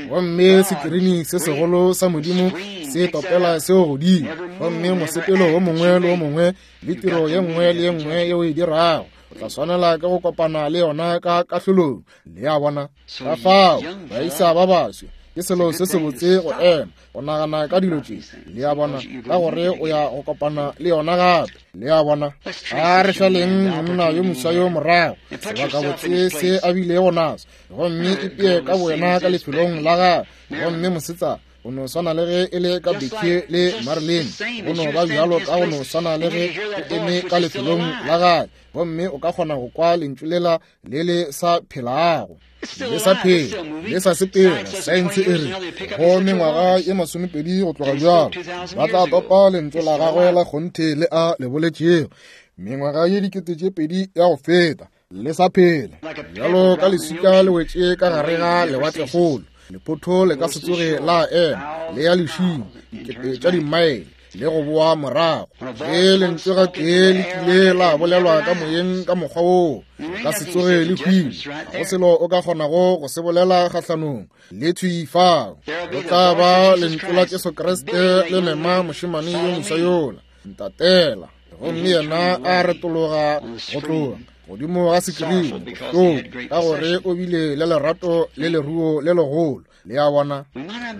Gomme sekirini se segolo sa Modimo se topela seo godimo, gomme mosepelo wo mongwe le wo mongwe le tiro ye nngwe le ye nngwe yeo e dirago, o tla swanela ke go kopana le yona ka kahlolong. Le a bona, ka fao baisa ba baswa ke selo se sebotse go ema go nagana ka dilo tše, le a bona, ka gore o ya go kopana le yona gape. Le a bona, a re šaleng monna yo moswa yo morago, sebakabotse se a bilego naso, gomme ipee ka boyena ka lefelong la gagwe. Gomme mosetsana o no swana le ge e le ka Becky le Marilyn, go no ba bjalo ka go no swana le ge o eme ka lefelong la gagwe, gomme o ka kgona go kwa lentšu lela le le sa phelago, le sa phela, le sa sepela. Saense e re go mengwaga ye masomepedi go tloga bjalo ba tla topa lentšu la gagwe la kgonthe le a le boletšego mengwaga ye dikete tše pedi ya go feta, le sa phela bjalo ka leswika le wetše ka gare ga lewatlekgolo. Lephotho le ka se tsoge la ema, le ya lešing dikete tša dimaele le go boa morago. Ge lentswe gatee le kile la bolelwa ka moyeng ka mokgwa woo, le ka se tsoge le hwile. Ga go selo o ka kgonago go se bolela kgahlanong le thwi fao. Go tla ba lentšu la Jesu Kriste le mema mošemane yo moswa yola, ntatela. Gomme yena a retologa go tloga, godimo ga sekirini, bohloko, ka gore o bile le lerato le leruo le legolo. Le a bona,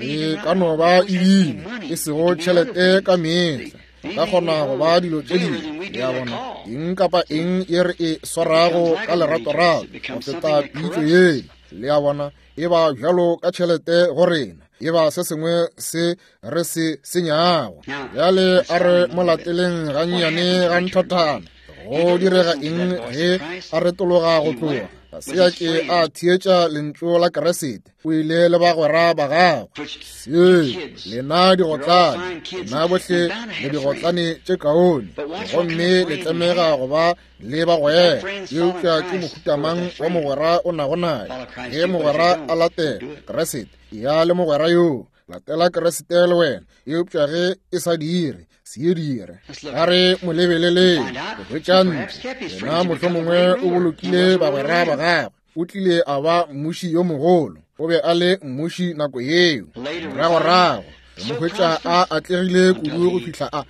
e ka no ba ebile e sego tšhelete ka mehla, ka kgona go ba dilo tše dingwe. Le a bona, eng kapa eng ye re e swarago ka leratorato go feta pitšo yela, le a bona, e ba bjalo ka tšhelete go rena, e ba se sengwe se re se senyago. Bjale a re mo lateleng gannyane ga nthathana. Go direga eng ge a retologa go tloga? Ga se a ke a theetša lentšu la Keresete. O ile le bagwera ba gagwe. Se lena digotlane, lena bohle le digotlane tše kaone, gomme le tlamega go ba le bagwera. Eupša ke mohuta mang wa mogwera o nago naye? Ge mogwera a latela Keresete, ya le mogwera yoo, latela Keresete le wena. Eupša ge e sa dire, se e dire. A re mo lebeleleng go hwetša ntlo. Yena mohlomongwe o bolokile bagwera ba gagwe. O tlile a ba mmuši yo mogolo. O be a le mmuši nako yeo. Moragorago re mo hwetša a atlegile kudu go fihla a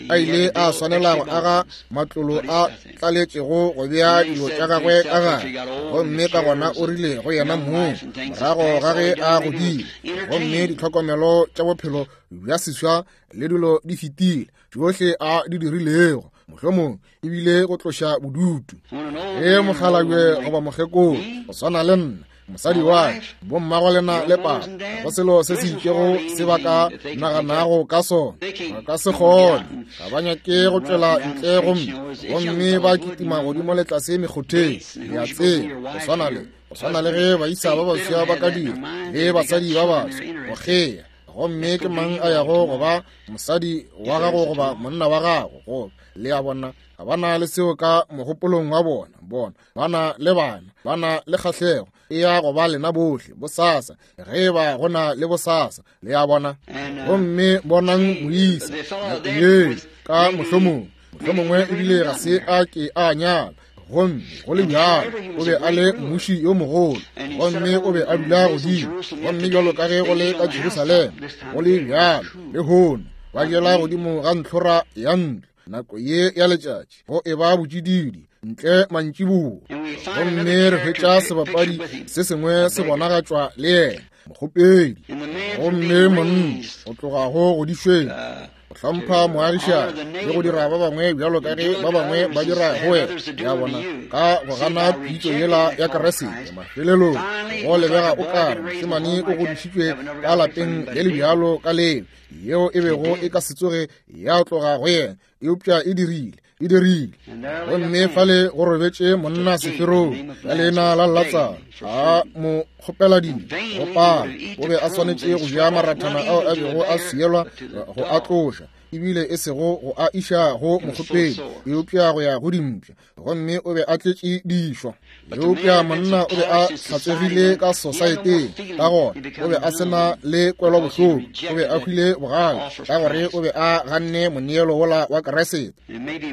a ile a swanela go aga matlolo a tlaletšego go bea dilo tša gagwe ka gare. Gomme ka gona o rile go yena mong, morago ga ge a godile, gomme ditlhokomelo tša bophelo bja seswa le dilo di fetile, tšohle a di dirilego, mohlomong ebile go tloša bodutu. Ge mokgalabje goba mokgekolo go swana le nna, mosadi wa ka, bommago lena le papa, go selo se se itšego se ba ka naganago ka sona, ba ka se kgone. Ga ba nyake go tšwela ntle gomme gomme ba kitima godimo le tlase mekgotheng. Le a tseba, go swana le go swana le ge baisa ba baswa ba ka dira le basadi ba baswa go kgea. Gomme ke mang a yago go ba mosadi wa gago goba monna wa gago? Go le a bona, ga ba na le seo ka mogopolong wa bona. Bona ba na le bana, ba na le kgahlego e ya go ba lena bohle bosasa, ge ba go na le bosasa. Le a bona. Gomme bonang moisa nako ye ka mohlomong, mohlomongwe ebile ga se a ke a nyala, gomme go le bjalo o be a le mmuši yo mogolo, gomme o be a dula godimo. Gomme bjalo ka ge go le ka Jerusalema, go le bjalo lehono, ba jela godimo ga ntlhora ya ntlo nako ye ya letšatši, go e ba botšididi ntle mantšiboa. Gomme re hwetša sebapadi se sengwe se bonagatšwa le yena, mokgopedi. Gomme monna o tloga go godišweng, go hlompha moagišani le go dira ba bangwe bjalo ka ge ba bangwe ba dira go wena. Ya bona, ka go gana pitšo yela ya Keresete, mafelelong go lebega o kare mošemane o godišitšwe ka lapeng le le bjalo ka leo, yeo e bego e ka se tsoge ya tloga go yena, eupša e dirile, e dirile. Gomme fale go robetše monna seferong ka leina la Latsaro, a mo kgopela dilo go pala. O be a swanetše go ja marathana ao a bego a swielwa go a tloša, ebile e sego go a iša go mokgopedi, eupša go ya go dimpša. Gomme o be a tletše dišwa. Eupša monna o be a hlatsegile ka sosaeteng, ka gona o be a sena le kwelobohloko. O be a hwile bogale ka gore o be a ganne moneelo wola wa Keresete.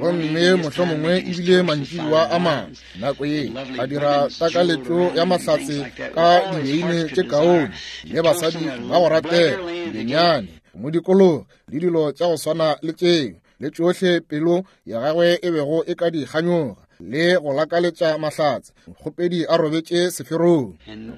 Gomme mohlomongwe ebile mantšiboa a mangwe nako ye a dira takaletšo ya mahlatse ka dibeine tše kaone le basadi ba go ratega, dibenyane, modikologo le dilo tša go swana le tšeo, le tšohle pelo ya gagwe e bego e ka di kganyoga le go lakaletša mahlatse. Mokgopedi a robetše seferong.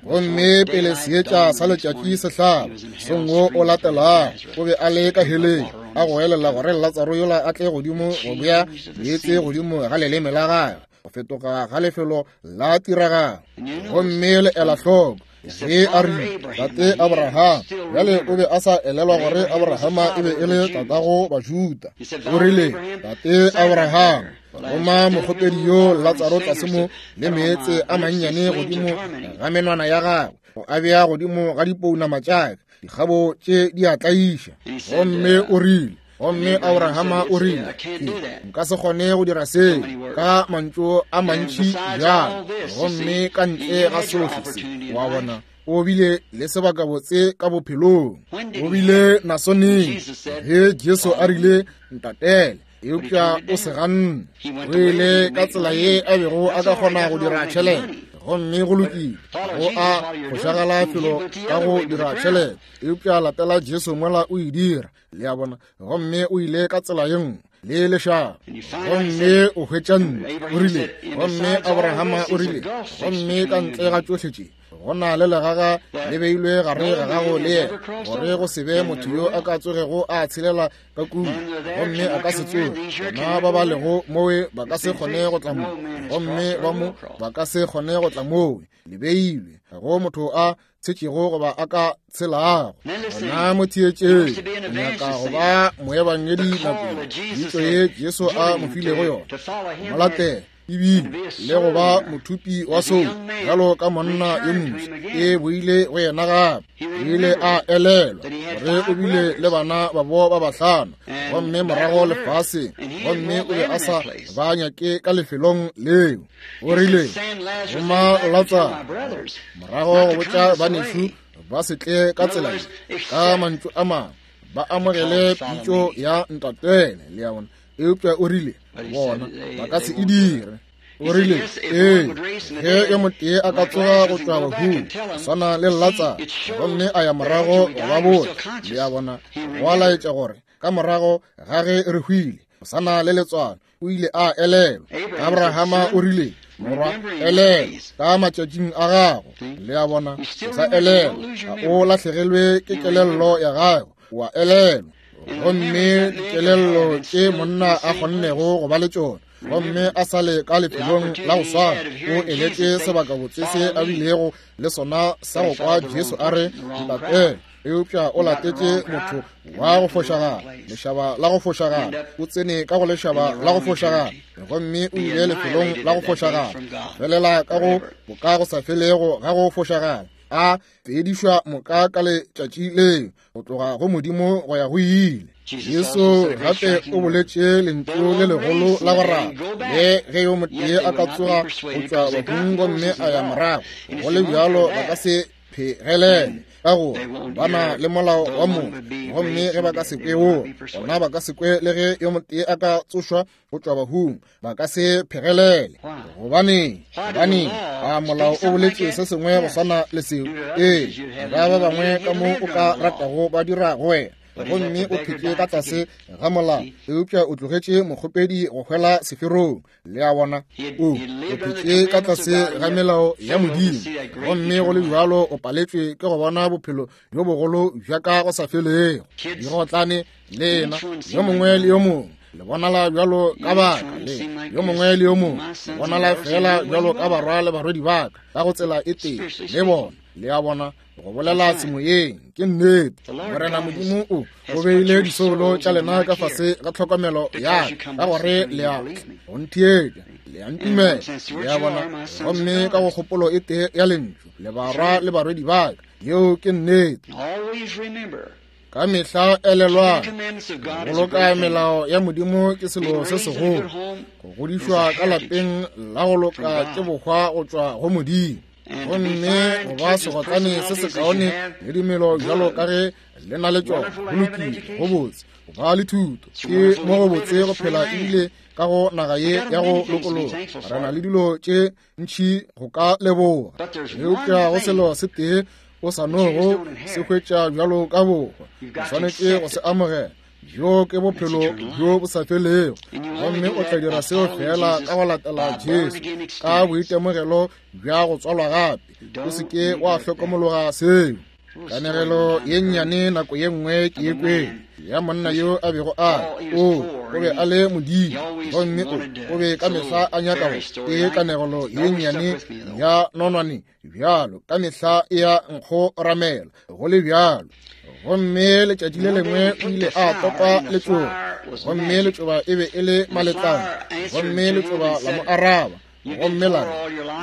Gomme pele seetša sa letšatši se hlaba, mosong o latelago o be a le ka heleng, a go elela gore Latsaro yola a tle godimo go bea meetse godimo ga leleme la gagwe, go fetoga ga lefelo la tiragalo. Gomme le ela hloko ge a rile, Tate Abraham. Bjale o be a sa elelwa gore Abrahama e be e le tatago Bajuda. O rile, Tate Abraham, roma mokgopedi yo Latsaro tlase mo le meetse a mannyane godimo ga menwana ya gagwe, go a bea godimo ga dipounama tša ka, dikgabo tše di a tlaiša. Gomme o rile, gomme Abrahama o rile, nka se kgone go dira seo ka mantšu a mantši bjalo. Gomme ka ntle ga sohle se, wa bona, o bile le sebakabotse ka bophelong. O bile naso neng ge Jesu a rile, ntatele, eupša o se ganne. O ile ka tsela ye a bego a ka kgona go dira tšhelete, gomme go lokile, go a fošagala felo ka go dira tšhelete, eupša latela Jesu mola o e dira. Le a bona. Gomme o ile ka tsela ye nngwe. le lešaba. Gomme o hwetša ntlo, o rile, gomme Abrahama o rile, gomme ka ntle ga tšohle tše go na le legaga le beilwe gare ga gago le yena, gore go se be motho yo a ka tsogego a tshelela ka kua, gomme a ka se tsoge. Bona ba ba lego mowe ba ka se kgone go tla mo, gomme ba mo ba ka se kgone go tla mowe. Le beilwe ga go motho a tshetšego goba a ka tshelago. Gona mo theetšeng, o nyaka go ba moebangedi nakong pitšo ye Jesu a mo filego yona, mo latela ebile le go ba mothupi wa soulo bjalo ka monna yo moswa. E boile go yena gape. O ile a elelwa gore o bile le bana babo ba bahlano, gomme morago lefaseng, gomme o be a sa ba nyake ka lefelong leo. O rile, roma Latsaro morago go botša banešu ba se tle ka tsela ye, ka mantšu a mangwe ba amogele pitšo ya ntatele, le a bona. Eupša o rile, bona ba ka se e dire. O rile, ee, ge yo motee a ka tsoga go tšwa bahung, swana le Latsaro, gomme a ya morago go ba botša, le a bona, go a laetša gore ka morago ga ge re hwile, go sana le letswalo. O ile a elelwa. Abrahama o rile, morwa, elelwa ka matšatšing a gago, le a bona, o sa elelwa, ga o lahlegelwe ke kelello ya gago, wa elelwa. Gomme dikelello tše monna a kgonnego go ba le tšona, gomme a sa le ka lefelong la go swana, o eletše sebakabotse se a bilego le sona sa go kwa Jesu a re ntatele, eupša o latetše motho wa go fošagala, lešaba la go fošagala. O tsene ka go lešaba la go fošagala, gomme o ile lefelong la go fošagala, felela ka go boka go sa felego ga go fošagala, a fedišwa moka ka letšatši leo, go tloga go Modimo go ya go ile. Jesu gape o boletše lentšu le legolo la go rata, le ge yo motee a ka tsoga go tšwa bahung gomme a ya morago, go le bjalo ba ka se phegelele, ka gore ba na le molao wa motho, gomme ge ba ka se kwe woo, gona ba ka se kwe le ge yo motee a ka tsošwa go tšwa bahung, ba ka se phegelele. Gobaneng? Gobaneng? A molao o boletše se sengwe go swana le seo? Ee, ba ba bangwe ka mo o ka ratago ba dira go wena, gomme o phetše ka tlase ga molao, eupša o tlogetše mokgopedi go hwela seferong. Le a bona, o o phetše ka tlase ga melao ya Modimo, gomme go le bjalo o paletšwe ke go bona bophelo bjo bogolo bja ka go sa felego. Digotlane lena yo mongwe le yo mongwe le bonala bjalo ka baka, le yo mongwe le yo mongwe le bonala fela bjalo ka barwa le barwedi baka ka go tsela e tee le bona. Le a bona, go bolela semoyeng ke nnete. Morena Modimo o o beile disoulo tša lena ka fase ga tlhokomelo ya ka, ka gore le a go ntheetša, le a ntumela, le a bona, gomme ka go kgopolo e tee ya lentšu le barwa le barwedi baka. Yeo ke nnete. Ka mehla elelwang, go boloka melao ya Modimo ke selo se segolo. Go godišwa ka lapeng la go loka ke bohwa go tšwa go Modimo, gomme go ba segotlane se sekaone le dimelo bjalo ka ge le na le tšona, go lokile, go botse. Go ba le thuto ke mo go botse go phela ebile ka go naga ye ya go lokologa. Re na le dilo tše ntši go ka leboga, eupša go selo se tee o sa nogo se hwetša bjalo ka bohwa, o swanetše go se amogela. Bjo ke bophelo bjo bo sa felego, gomme o tla dira seo fela ka go latela Jesu ka boitemogelo bja go tswalwa gape. O se ke wa hlokomologa seo. Kanegelo ye nnyane nako ye nngwe ke e kwele ya monna yo a bego a o o be a le modimo, gomme o o be ka mehla a nyaka go ke kanegelo ye nnyane ya nonwane bjalo ka mehla e ya nkgoramela go le bjalo. Gomme letšatši le lengwe o ile a topa letšoba, gomme letšoba e be e le maletlana, gomme letšoba la mo araba, gomme la re,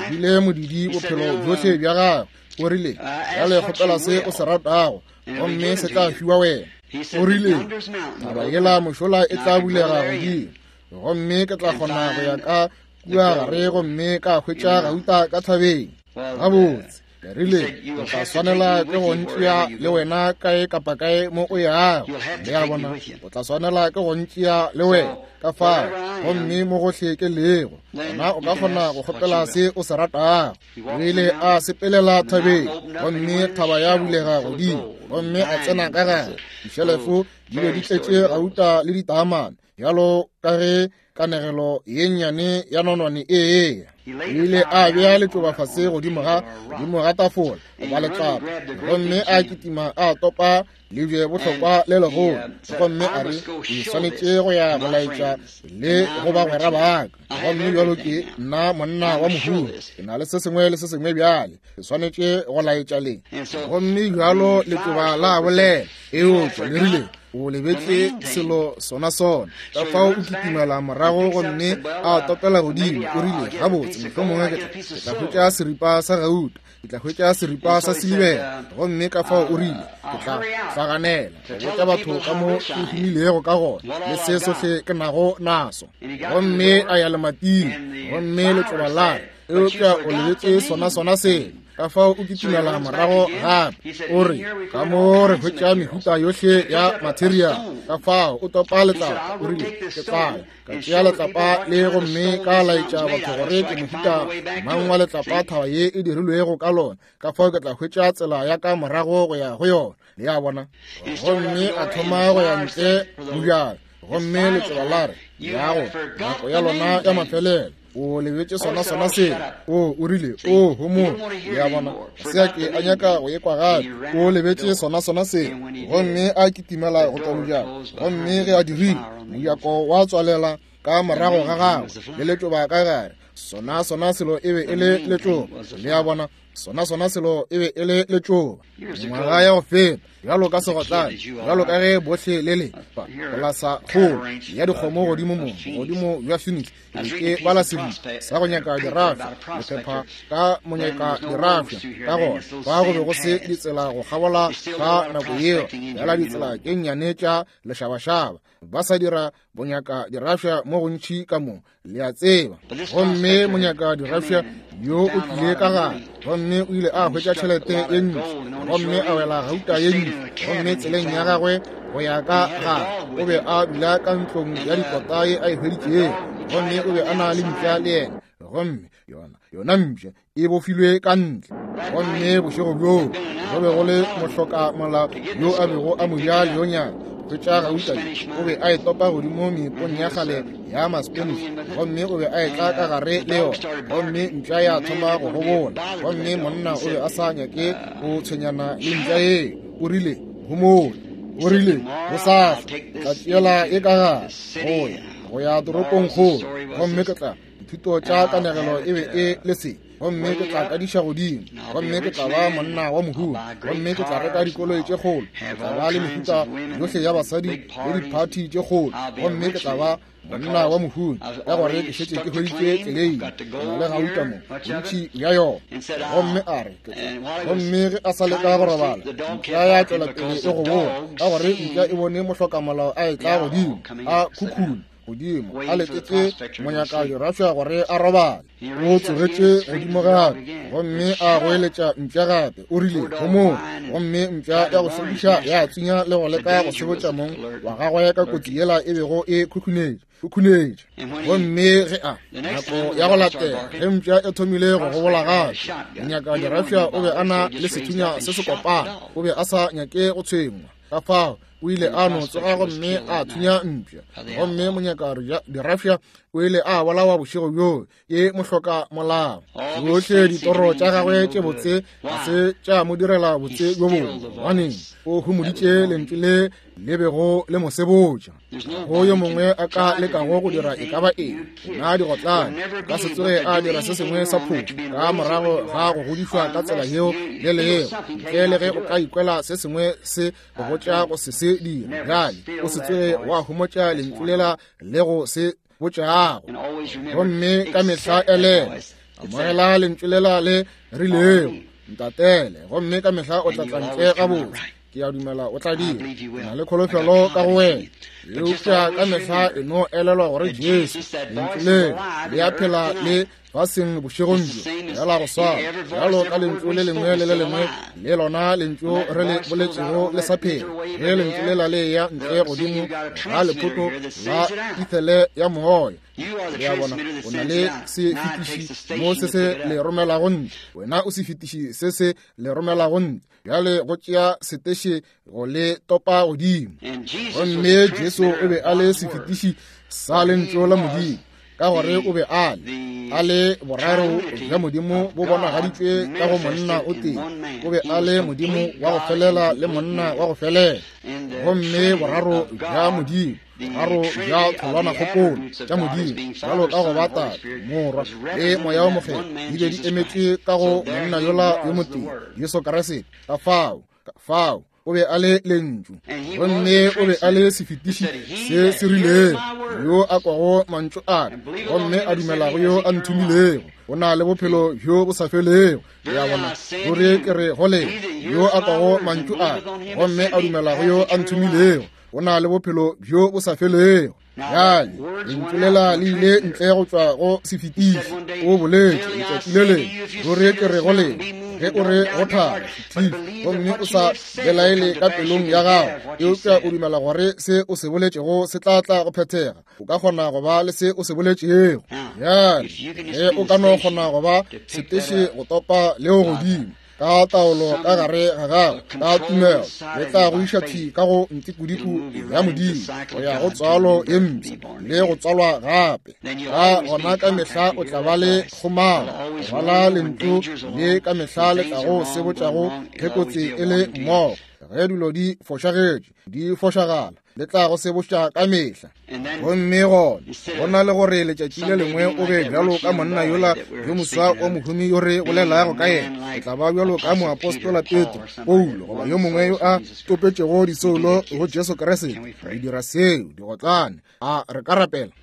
bile modidi bophelo bjohle bja gagwe. O rile, bjale kgopela se o se ratago, gomme se tla fiwa wena. O rile, thaba yela mošola e tla bulega godimo, gomme ke tla kgona go ya ka kua gare gomme ka hwetša gauta ka thabeng. Gabotse, ke rile, o tla swanela ke go ntšea le wena kae kapa kae mo o yago. Le a bona, o tla swanela ke go ntšea le wena ka fao, gomme mo gohle ke lego, gona o ka kgona go kgopela se o se ratago. O ile a sepelela thabeng, gomme thaba ya bulega godimo, gomme a tsena ka gare. Dišelefo di be di tletše gauta le ditaamane. Bjalo ka ge kanegelo ye nnyane ya nonwane e eya, o ile a bea letšoba fase godimo ga godimo ga tafola goba letlapa, gomme a kitima a topa lebje bohlokwa le legolo, gomme a re, ke swanetše go ya go laetša le go bagwera ba ka. Gomme bjalo ke nna monna wa mohumi, ke na le se sengwe le se sengwe bjale, ke swanetše go laetša le. Gomme bjalo letšoba la bolela, eupša le rile, o lebetše selo sona sona. Ka fao o kitimela morago gomme a topela godimo. O rile, gabotse, mohlomongwe ke tla hwetša seripa sa gauta, ke tla hwetša seripa sa silibera. Gomme ka fao o rile, ke tla hlaganela go botša batho ka mo ke humilego ka gona le se sohle ke nago naso. Gomme a ya lemating, gomme letšoba la re, eupša o lebetše sona sona selo. Ka fao o kitimela morago gape, o re, ka mo re hwetša mehuta yohle ya material. Ka fao o topa letlapa, o rile, ke tla ka tšea letlapa le gomme ka laetša batho gore ke mohuta mang wa letlapa thaba ye e dirilwego ka lona. Ka fao ke tla hwetša tsela ya ka morago go ya go yona. Le a bona? Gomme a thoma go ya ntle mojako, gomme letšoba la re, yago nako ya lona ya mafelelo, o lebetše sona sona selo. O o rile, o homola. Le a bona? Se a ke a nyaka go ekwa gape. O lebetše sona sona selo. Gomme a kitimela go tšwa mojako, gomme ge a dirile, mojako wa tswalela ka morago ga gagwe le letšoba ka gare. Sona sona selo e be e le letšoba. Le a bona? Sona sona selo e be e le letšoba. Mengwaga ya go feta, bjalo ka segotlane, bjalo ka ge bohle le le polasa kgolo ya dikgomo godimo mo godimo bja Phoenix, ke bala seripa sa go nyaka dirafša, lephepha ka monyaka dirafša. Ka gona fa go be go se ditsela go kgabola ka nako yeo, bjala ditsela tše nnyane tša lešabašaba, ba sa dira bonyaka dirafša mo gontši ka mo, le a tseba. Gomme monyaka dirafša yo o tlile ka gare, gomme o ile a hwetša tšhelete ye ntši, gomme a wela gauta ye ntši. Gomme tseleng ya gagwe go ya ka gare, o be a dula ka ntlong ya dikota ye a e hweditšego, gomme o be a na le mpša le yena, gomme yona yona mpša e bofilwe ka ntle. Gomme bošego bjoo go be go le mohlokamolao yo a bego a mo ja leonyana hwetša gauta, o be a e topa godimo meepong ya kgale ya Maspanish, gomme o be a etla ka gare le yona. Gomme mpša ya thoma go gobola, gomme monna o be a sa nyake go tshwenyana le mpša yeo. O rile, homola. O rile, gosasa tla tšeela e ka gare go ya go ya toropong kgolo, gomme ke tla dithuto tša kanegelo e be e le se, gomme ke tla kadiša godimo, gomme ke tla ba monna wa mohumi, gomme ke tla reka dikoloi tše kgolo, ke tla ba le mehuta yohle ya basadi le diphathi tše kgolo, gomme ke tla ba monna wa mohumi ka gore ke šetše ke hweditše tleleime, ke na le gauta mo bontši bja yona. Gomme a re, gomme ge a sa leka go robala, mpša ya tšwela pele e gobola, ka gore mpša e bone mohlokamolao a etla godimo a khukhuna godimo a letetše monyaka dirafša gore a robale. O tsogetše godimo gape, gomme a goeletša mpša gape, o rile, homola. Gomme mpša ya go šokiša ya tsunya le go leka go sebotša mong wa gagwe ka kotsi yela e bego e khukhunetše khukhunetše. Gomme ge a nako ya go latela ge mpša e thomile go gobola gape, monyaka dirafša o be a na le sethunya se se kopana, o be a sa nyake go tshwengwa. Ka fao o ile a no tsoga gomme a thunya mpša, gomme monyaka dirafša o ile a bolawa bošego bjoo ke mohloka molao. Tšohle ditoro tša gagwe tše botse ga se tša mo direla botse bjo bongwe, gobaneng o humoditše lentšu le le bego le mo sebotša. Go yo mongwe a ka lekago go dira e ka ba eng, nna digotlane ka se tsoge a dira se sengwe sa phošo ka morago ga go godišwa ka tsela yeo le leo, ntle le ge o ka ikwela se sengwe se go botša go se se dira. Bjale o se tsoge wa homotša lentšu lela le go se botšago, gomme ka mehla elela amogela lentšu lela le rilego, ntatele, gomme ka mehla o tla tla ntle gabotse. Ke a dumela o tla dira, na le kholofelo ka go wena. Eupša ka mehla e no elelwa gore Jesu lentšu le le a phela le faseng bošegong bjo, bjala go swana bjalo ka lentšu le lengwe le le lengwe le lona lentšu re le boletšego le sa phela. Ge lentšu lela le ya ntle godimo ga lephoto la ethele ya moya, le a bona, O na le sefetiši mo se se le romelago ntle. Wena o sefetiši se se le romelago ntle. Bjale go tšea seteše go le topa godimo. Gomme Jesu o be a le sefetiši sa lentšu la Modimo, ka gore o be a le a le boraro bja Modimo bo bonagaditšwe ka go monna o tee. O be a le Modimo wa go felela le monna wa go felela. Gomme boraro bja Modimo, boraro bja tholwanakgopolo tša Modimo, bjalo ka go ba Tate, Morwa le Moya wo Mokgethwa, di be di emetšwe ka go monna yola yo motee, Jesu Kriste. Ka fao, ka fao o be a le lentšu, gomme o be a le sefetiši se se rilego. Yo a kwago mantšu a ka gomme a dumelago yo a nthomilego o na le bophelo bjo bo sa felego. Ya bona, ruri ke re go lena, yo a kwago mantšu a ka gomme a dumelago yo a nthomilego o na le bophelo bjo bo sa felego. Bjale lentšu lela le ile ntle go tšwa go sefetiši. O boletše letšatši le lengwe, ruri ke re go lena, ge o re go thaba sefetiši gomme o sa belaele ka pelong ya gago, eupša o dumela gore se o se boletšego se tla tla go phethega, o ka kgona go ba le se o se boletšego. Bjale ge o ka no kgona go ba seteše go topa leo godimo ka taolo ka gare ga gago ka tumelo, le tla go iša thwi ka go ntikudiku ya Modimo go ya go tswalo ye mpsha le go tswalwa gape. Ka gona ka mehla o tla ba le kgomaro, go bala lentšu le ka mehla le tla go sebotšago ge kotsi e le mmogo. Ge dilo di fošagetše, di fošagala, le tla go sebotša ka mehla. Gomme gona go na le gore letšatši le lengwe o be bjalo ka monna yola yo moswa wa mohumi yo re bolelago ka yena. O tla ba bjalo ka moapostola Petro, Paulo, goba yo mongwe yo a topetšego disoulo go Jesu Kriste. Re dira seo, digotlane. A re ka rapela?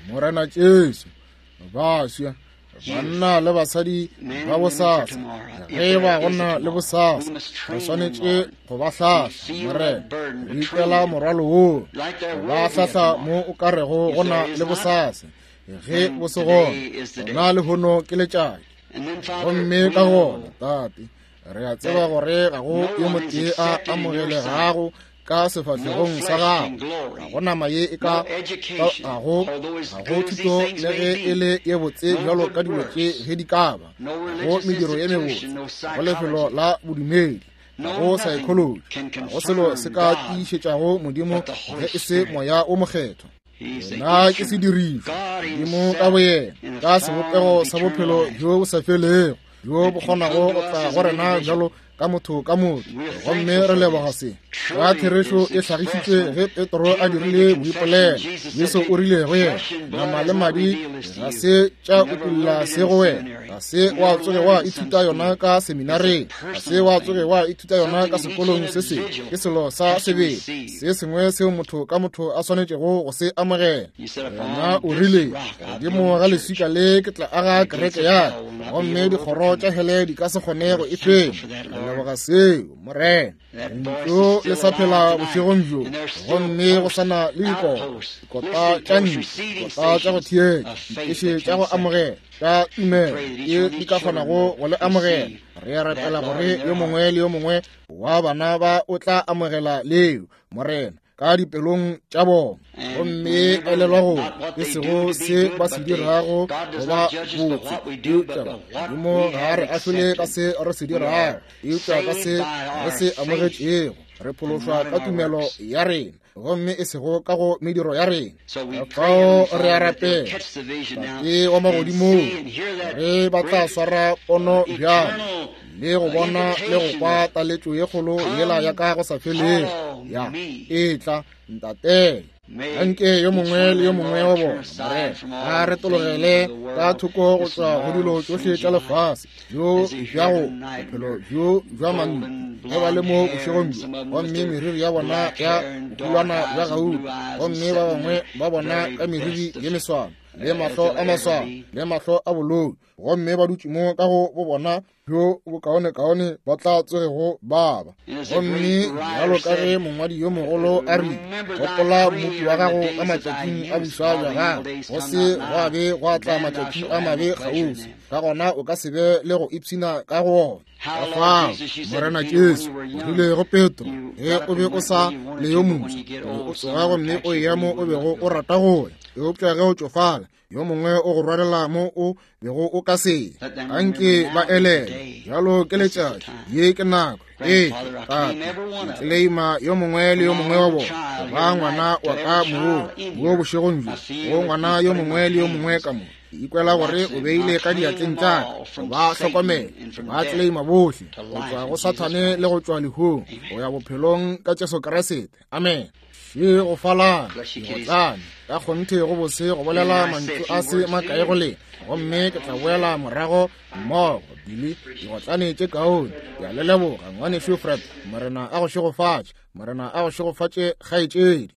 Morena Jesu, baswa, banna le basadi ba bosasa, ge ba go na le bosasa, re swanetše go ba hlahla. Morena, re ikwela morwalo woo, go ba hlahla mo o ka rego go na le bosasa. Ge bo se gona, gona lehono ke letšatši. Gomme ka gona, Tate, re a tseba gore ga go yo motee a amogelegago ka sefahlegong sa gago. Ga go nama ye e ka ga go ga go thuto le ge e le ye botse bjalo ka dilo tše ge di ka ba, ga go mediro ye mebotse, ga go lefelo la bodumedi, ga go psychology, ga go selo se ka tiišetšago Modimo ge e se Moya o Mokgethwa. Yena ke sedirišwa, Modimo ka boyena, ka sebopego sa bophelo bjo bo sa felego, bjo bo kgonago go tla go rena bjalo ka motho ka motho. Gomme re leboga se. Ka therešo e hlagišitšwe ge Petro a dirile boipolelo. Jesu o rile go yena, nama le madi ga se tša utolla se go wena, ga se wa tsoge wa ithuta yona ka seminareng, ga se wa tsoge wa ithuta yona ka sekolong se sengwe. Ke selo sa sebele, se sengwe seo motho ka motho a swanetšego go se amogela. Yena o rile, godimo ga leswika le ke tla aga kereke ya ka, gomme dikgoro tša hele di ka se kgone go e fenya. Re leboga seo, Morena. Lentšu le sa phela bošegong bjo, gomme go sana le dikota, dikota tša ntlo, dikota tša go theetša, diteše tša go amogela tša tumelo tše di ka kgonago go le amogela. Re a rapela gore yo mongwe le yo mongwe wa bana ba o tla amogela leo, Morena, ka dipelong tša bona. Gomme elelwa gore e sego se ba se dirago go ba botse, eupša Modimo ga re ahlole ka se re se dirago, eupša ka se re se amogetšego. Re phološwa ka tumelo ya rena, gomme e sego ka go mediro ya rena. Ka fao re a rapela, Tate wa magodimong, re ba tla swara pono bjalo le go bona le go kwa taletšo ye kgolo yela ya ka go sa felego ya e tla ntatele. Anke yo mongwe le yo mongwe wa bona, Morena, a retologele ka thoko go tšwa go dilo tšohle tša lefase, bjo bja go bophelo bjo bja mantlo, ge ba le mo bošegong bjo, gomme meriri ya bona ya bohulwana bja gauta, gomme ba bangwe ba bona ka meriri ye meswana le mahlo a maswana le mahlo a bolou, gomme ba dutše mo ka go bo bona bjo bokaonekaone ba tla tsogego ba ba. Gomme bjalo ka ge mongwadi yo mogolo a rile, gopola mmopi wa gago ka matšatšing a boswa bja gago, go se gwa be gwa tla matšatši a mabe kgauswi, ka gona o ka se be le go ipshina ka go ona. Ka fao, Morena Jesu o rile go Petro, ge o be o sa le yo moswa, o be o tsoga gomme o eya mo o bego o rata go ya. Eupša ge o tšofala, yo mongwe o go rwalela mo o bego o ka se. Anke ba elele bjalo ke letšatši, ye ke nako. Ee, tate, ke tleleima yo mongwe le yo mongwe wa bona go ba ngwana wa ka moo mo bošegong bjo, go ngwana yo mongwe le yo mongwe ka mo. Ke ikwela gore o beile ka diatleng tša ka go ba hlokomela, ba tleleima bohle go tšwa go Sathane le go tšwa lehung go ya bophelong ka Jesu Kriste. Amen. Še go falana digotlane ka kgonthe go bose go bolela mantšu a se makae go lena, gomme ke tla boela morago mmogo. Bili digotlane tše kaone. Ke a le leboga, ngwanešu Fred. Morena a go šegofatše. Morena a go šegofatše, kgaetšedi.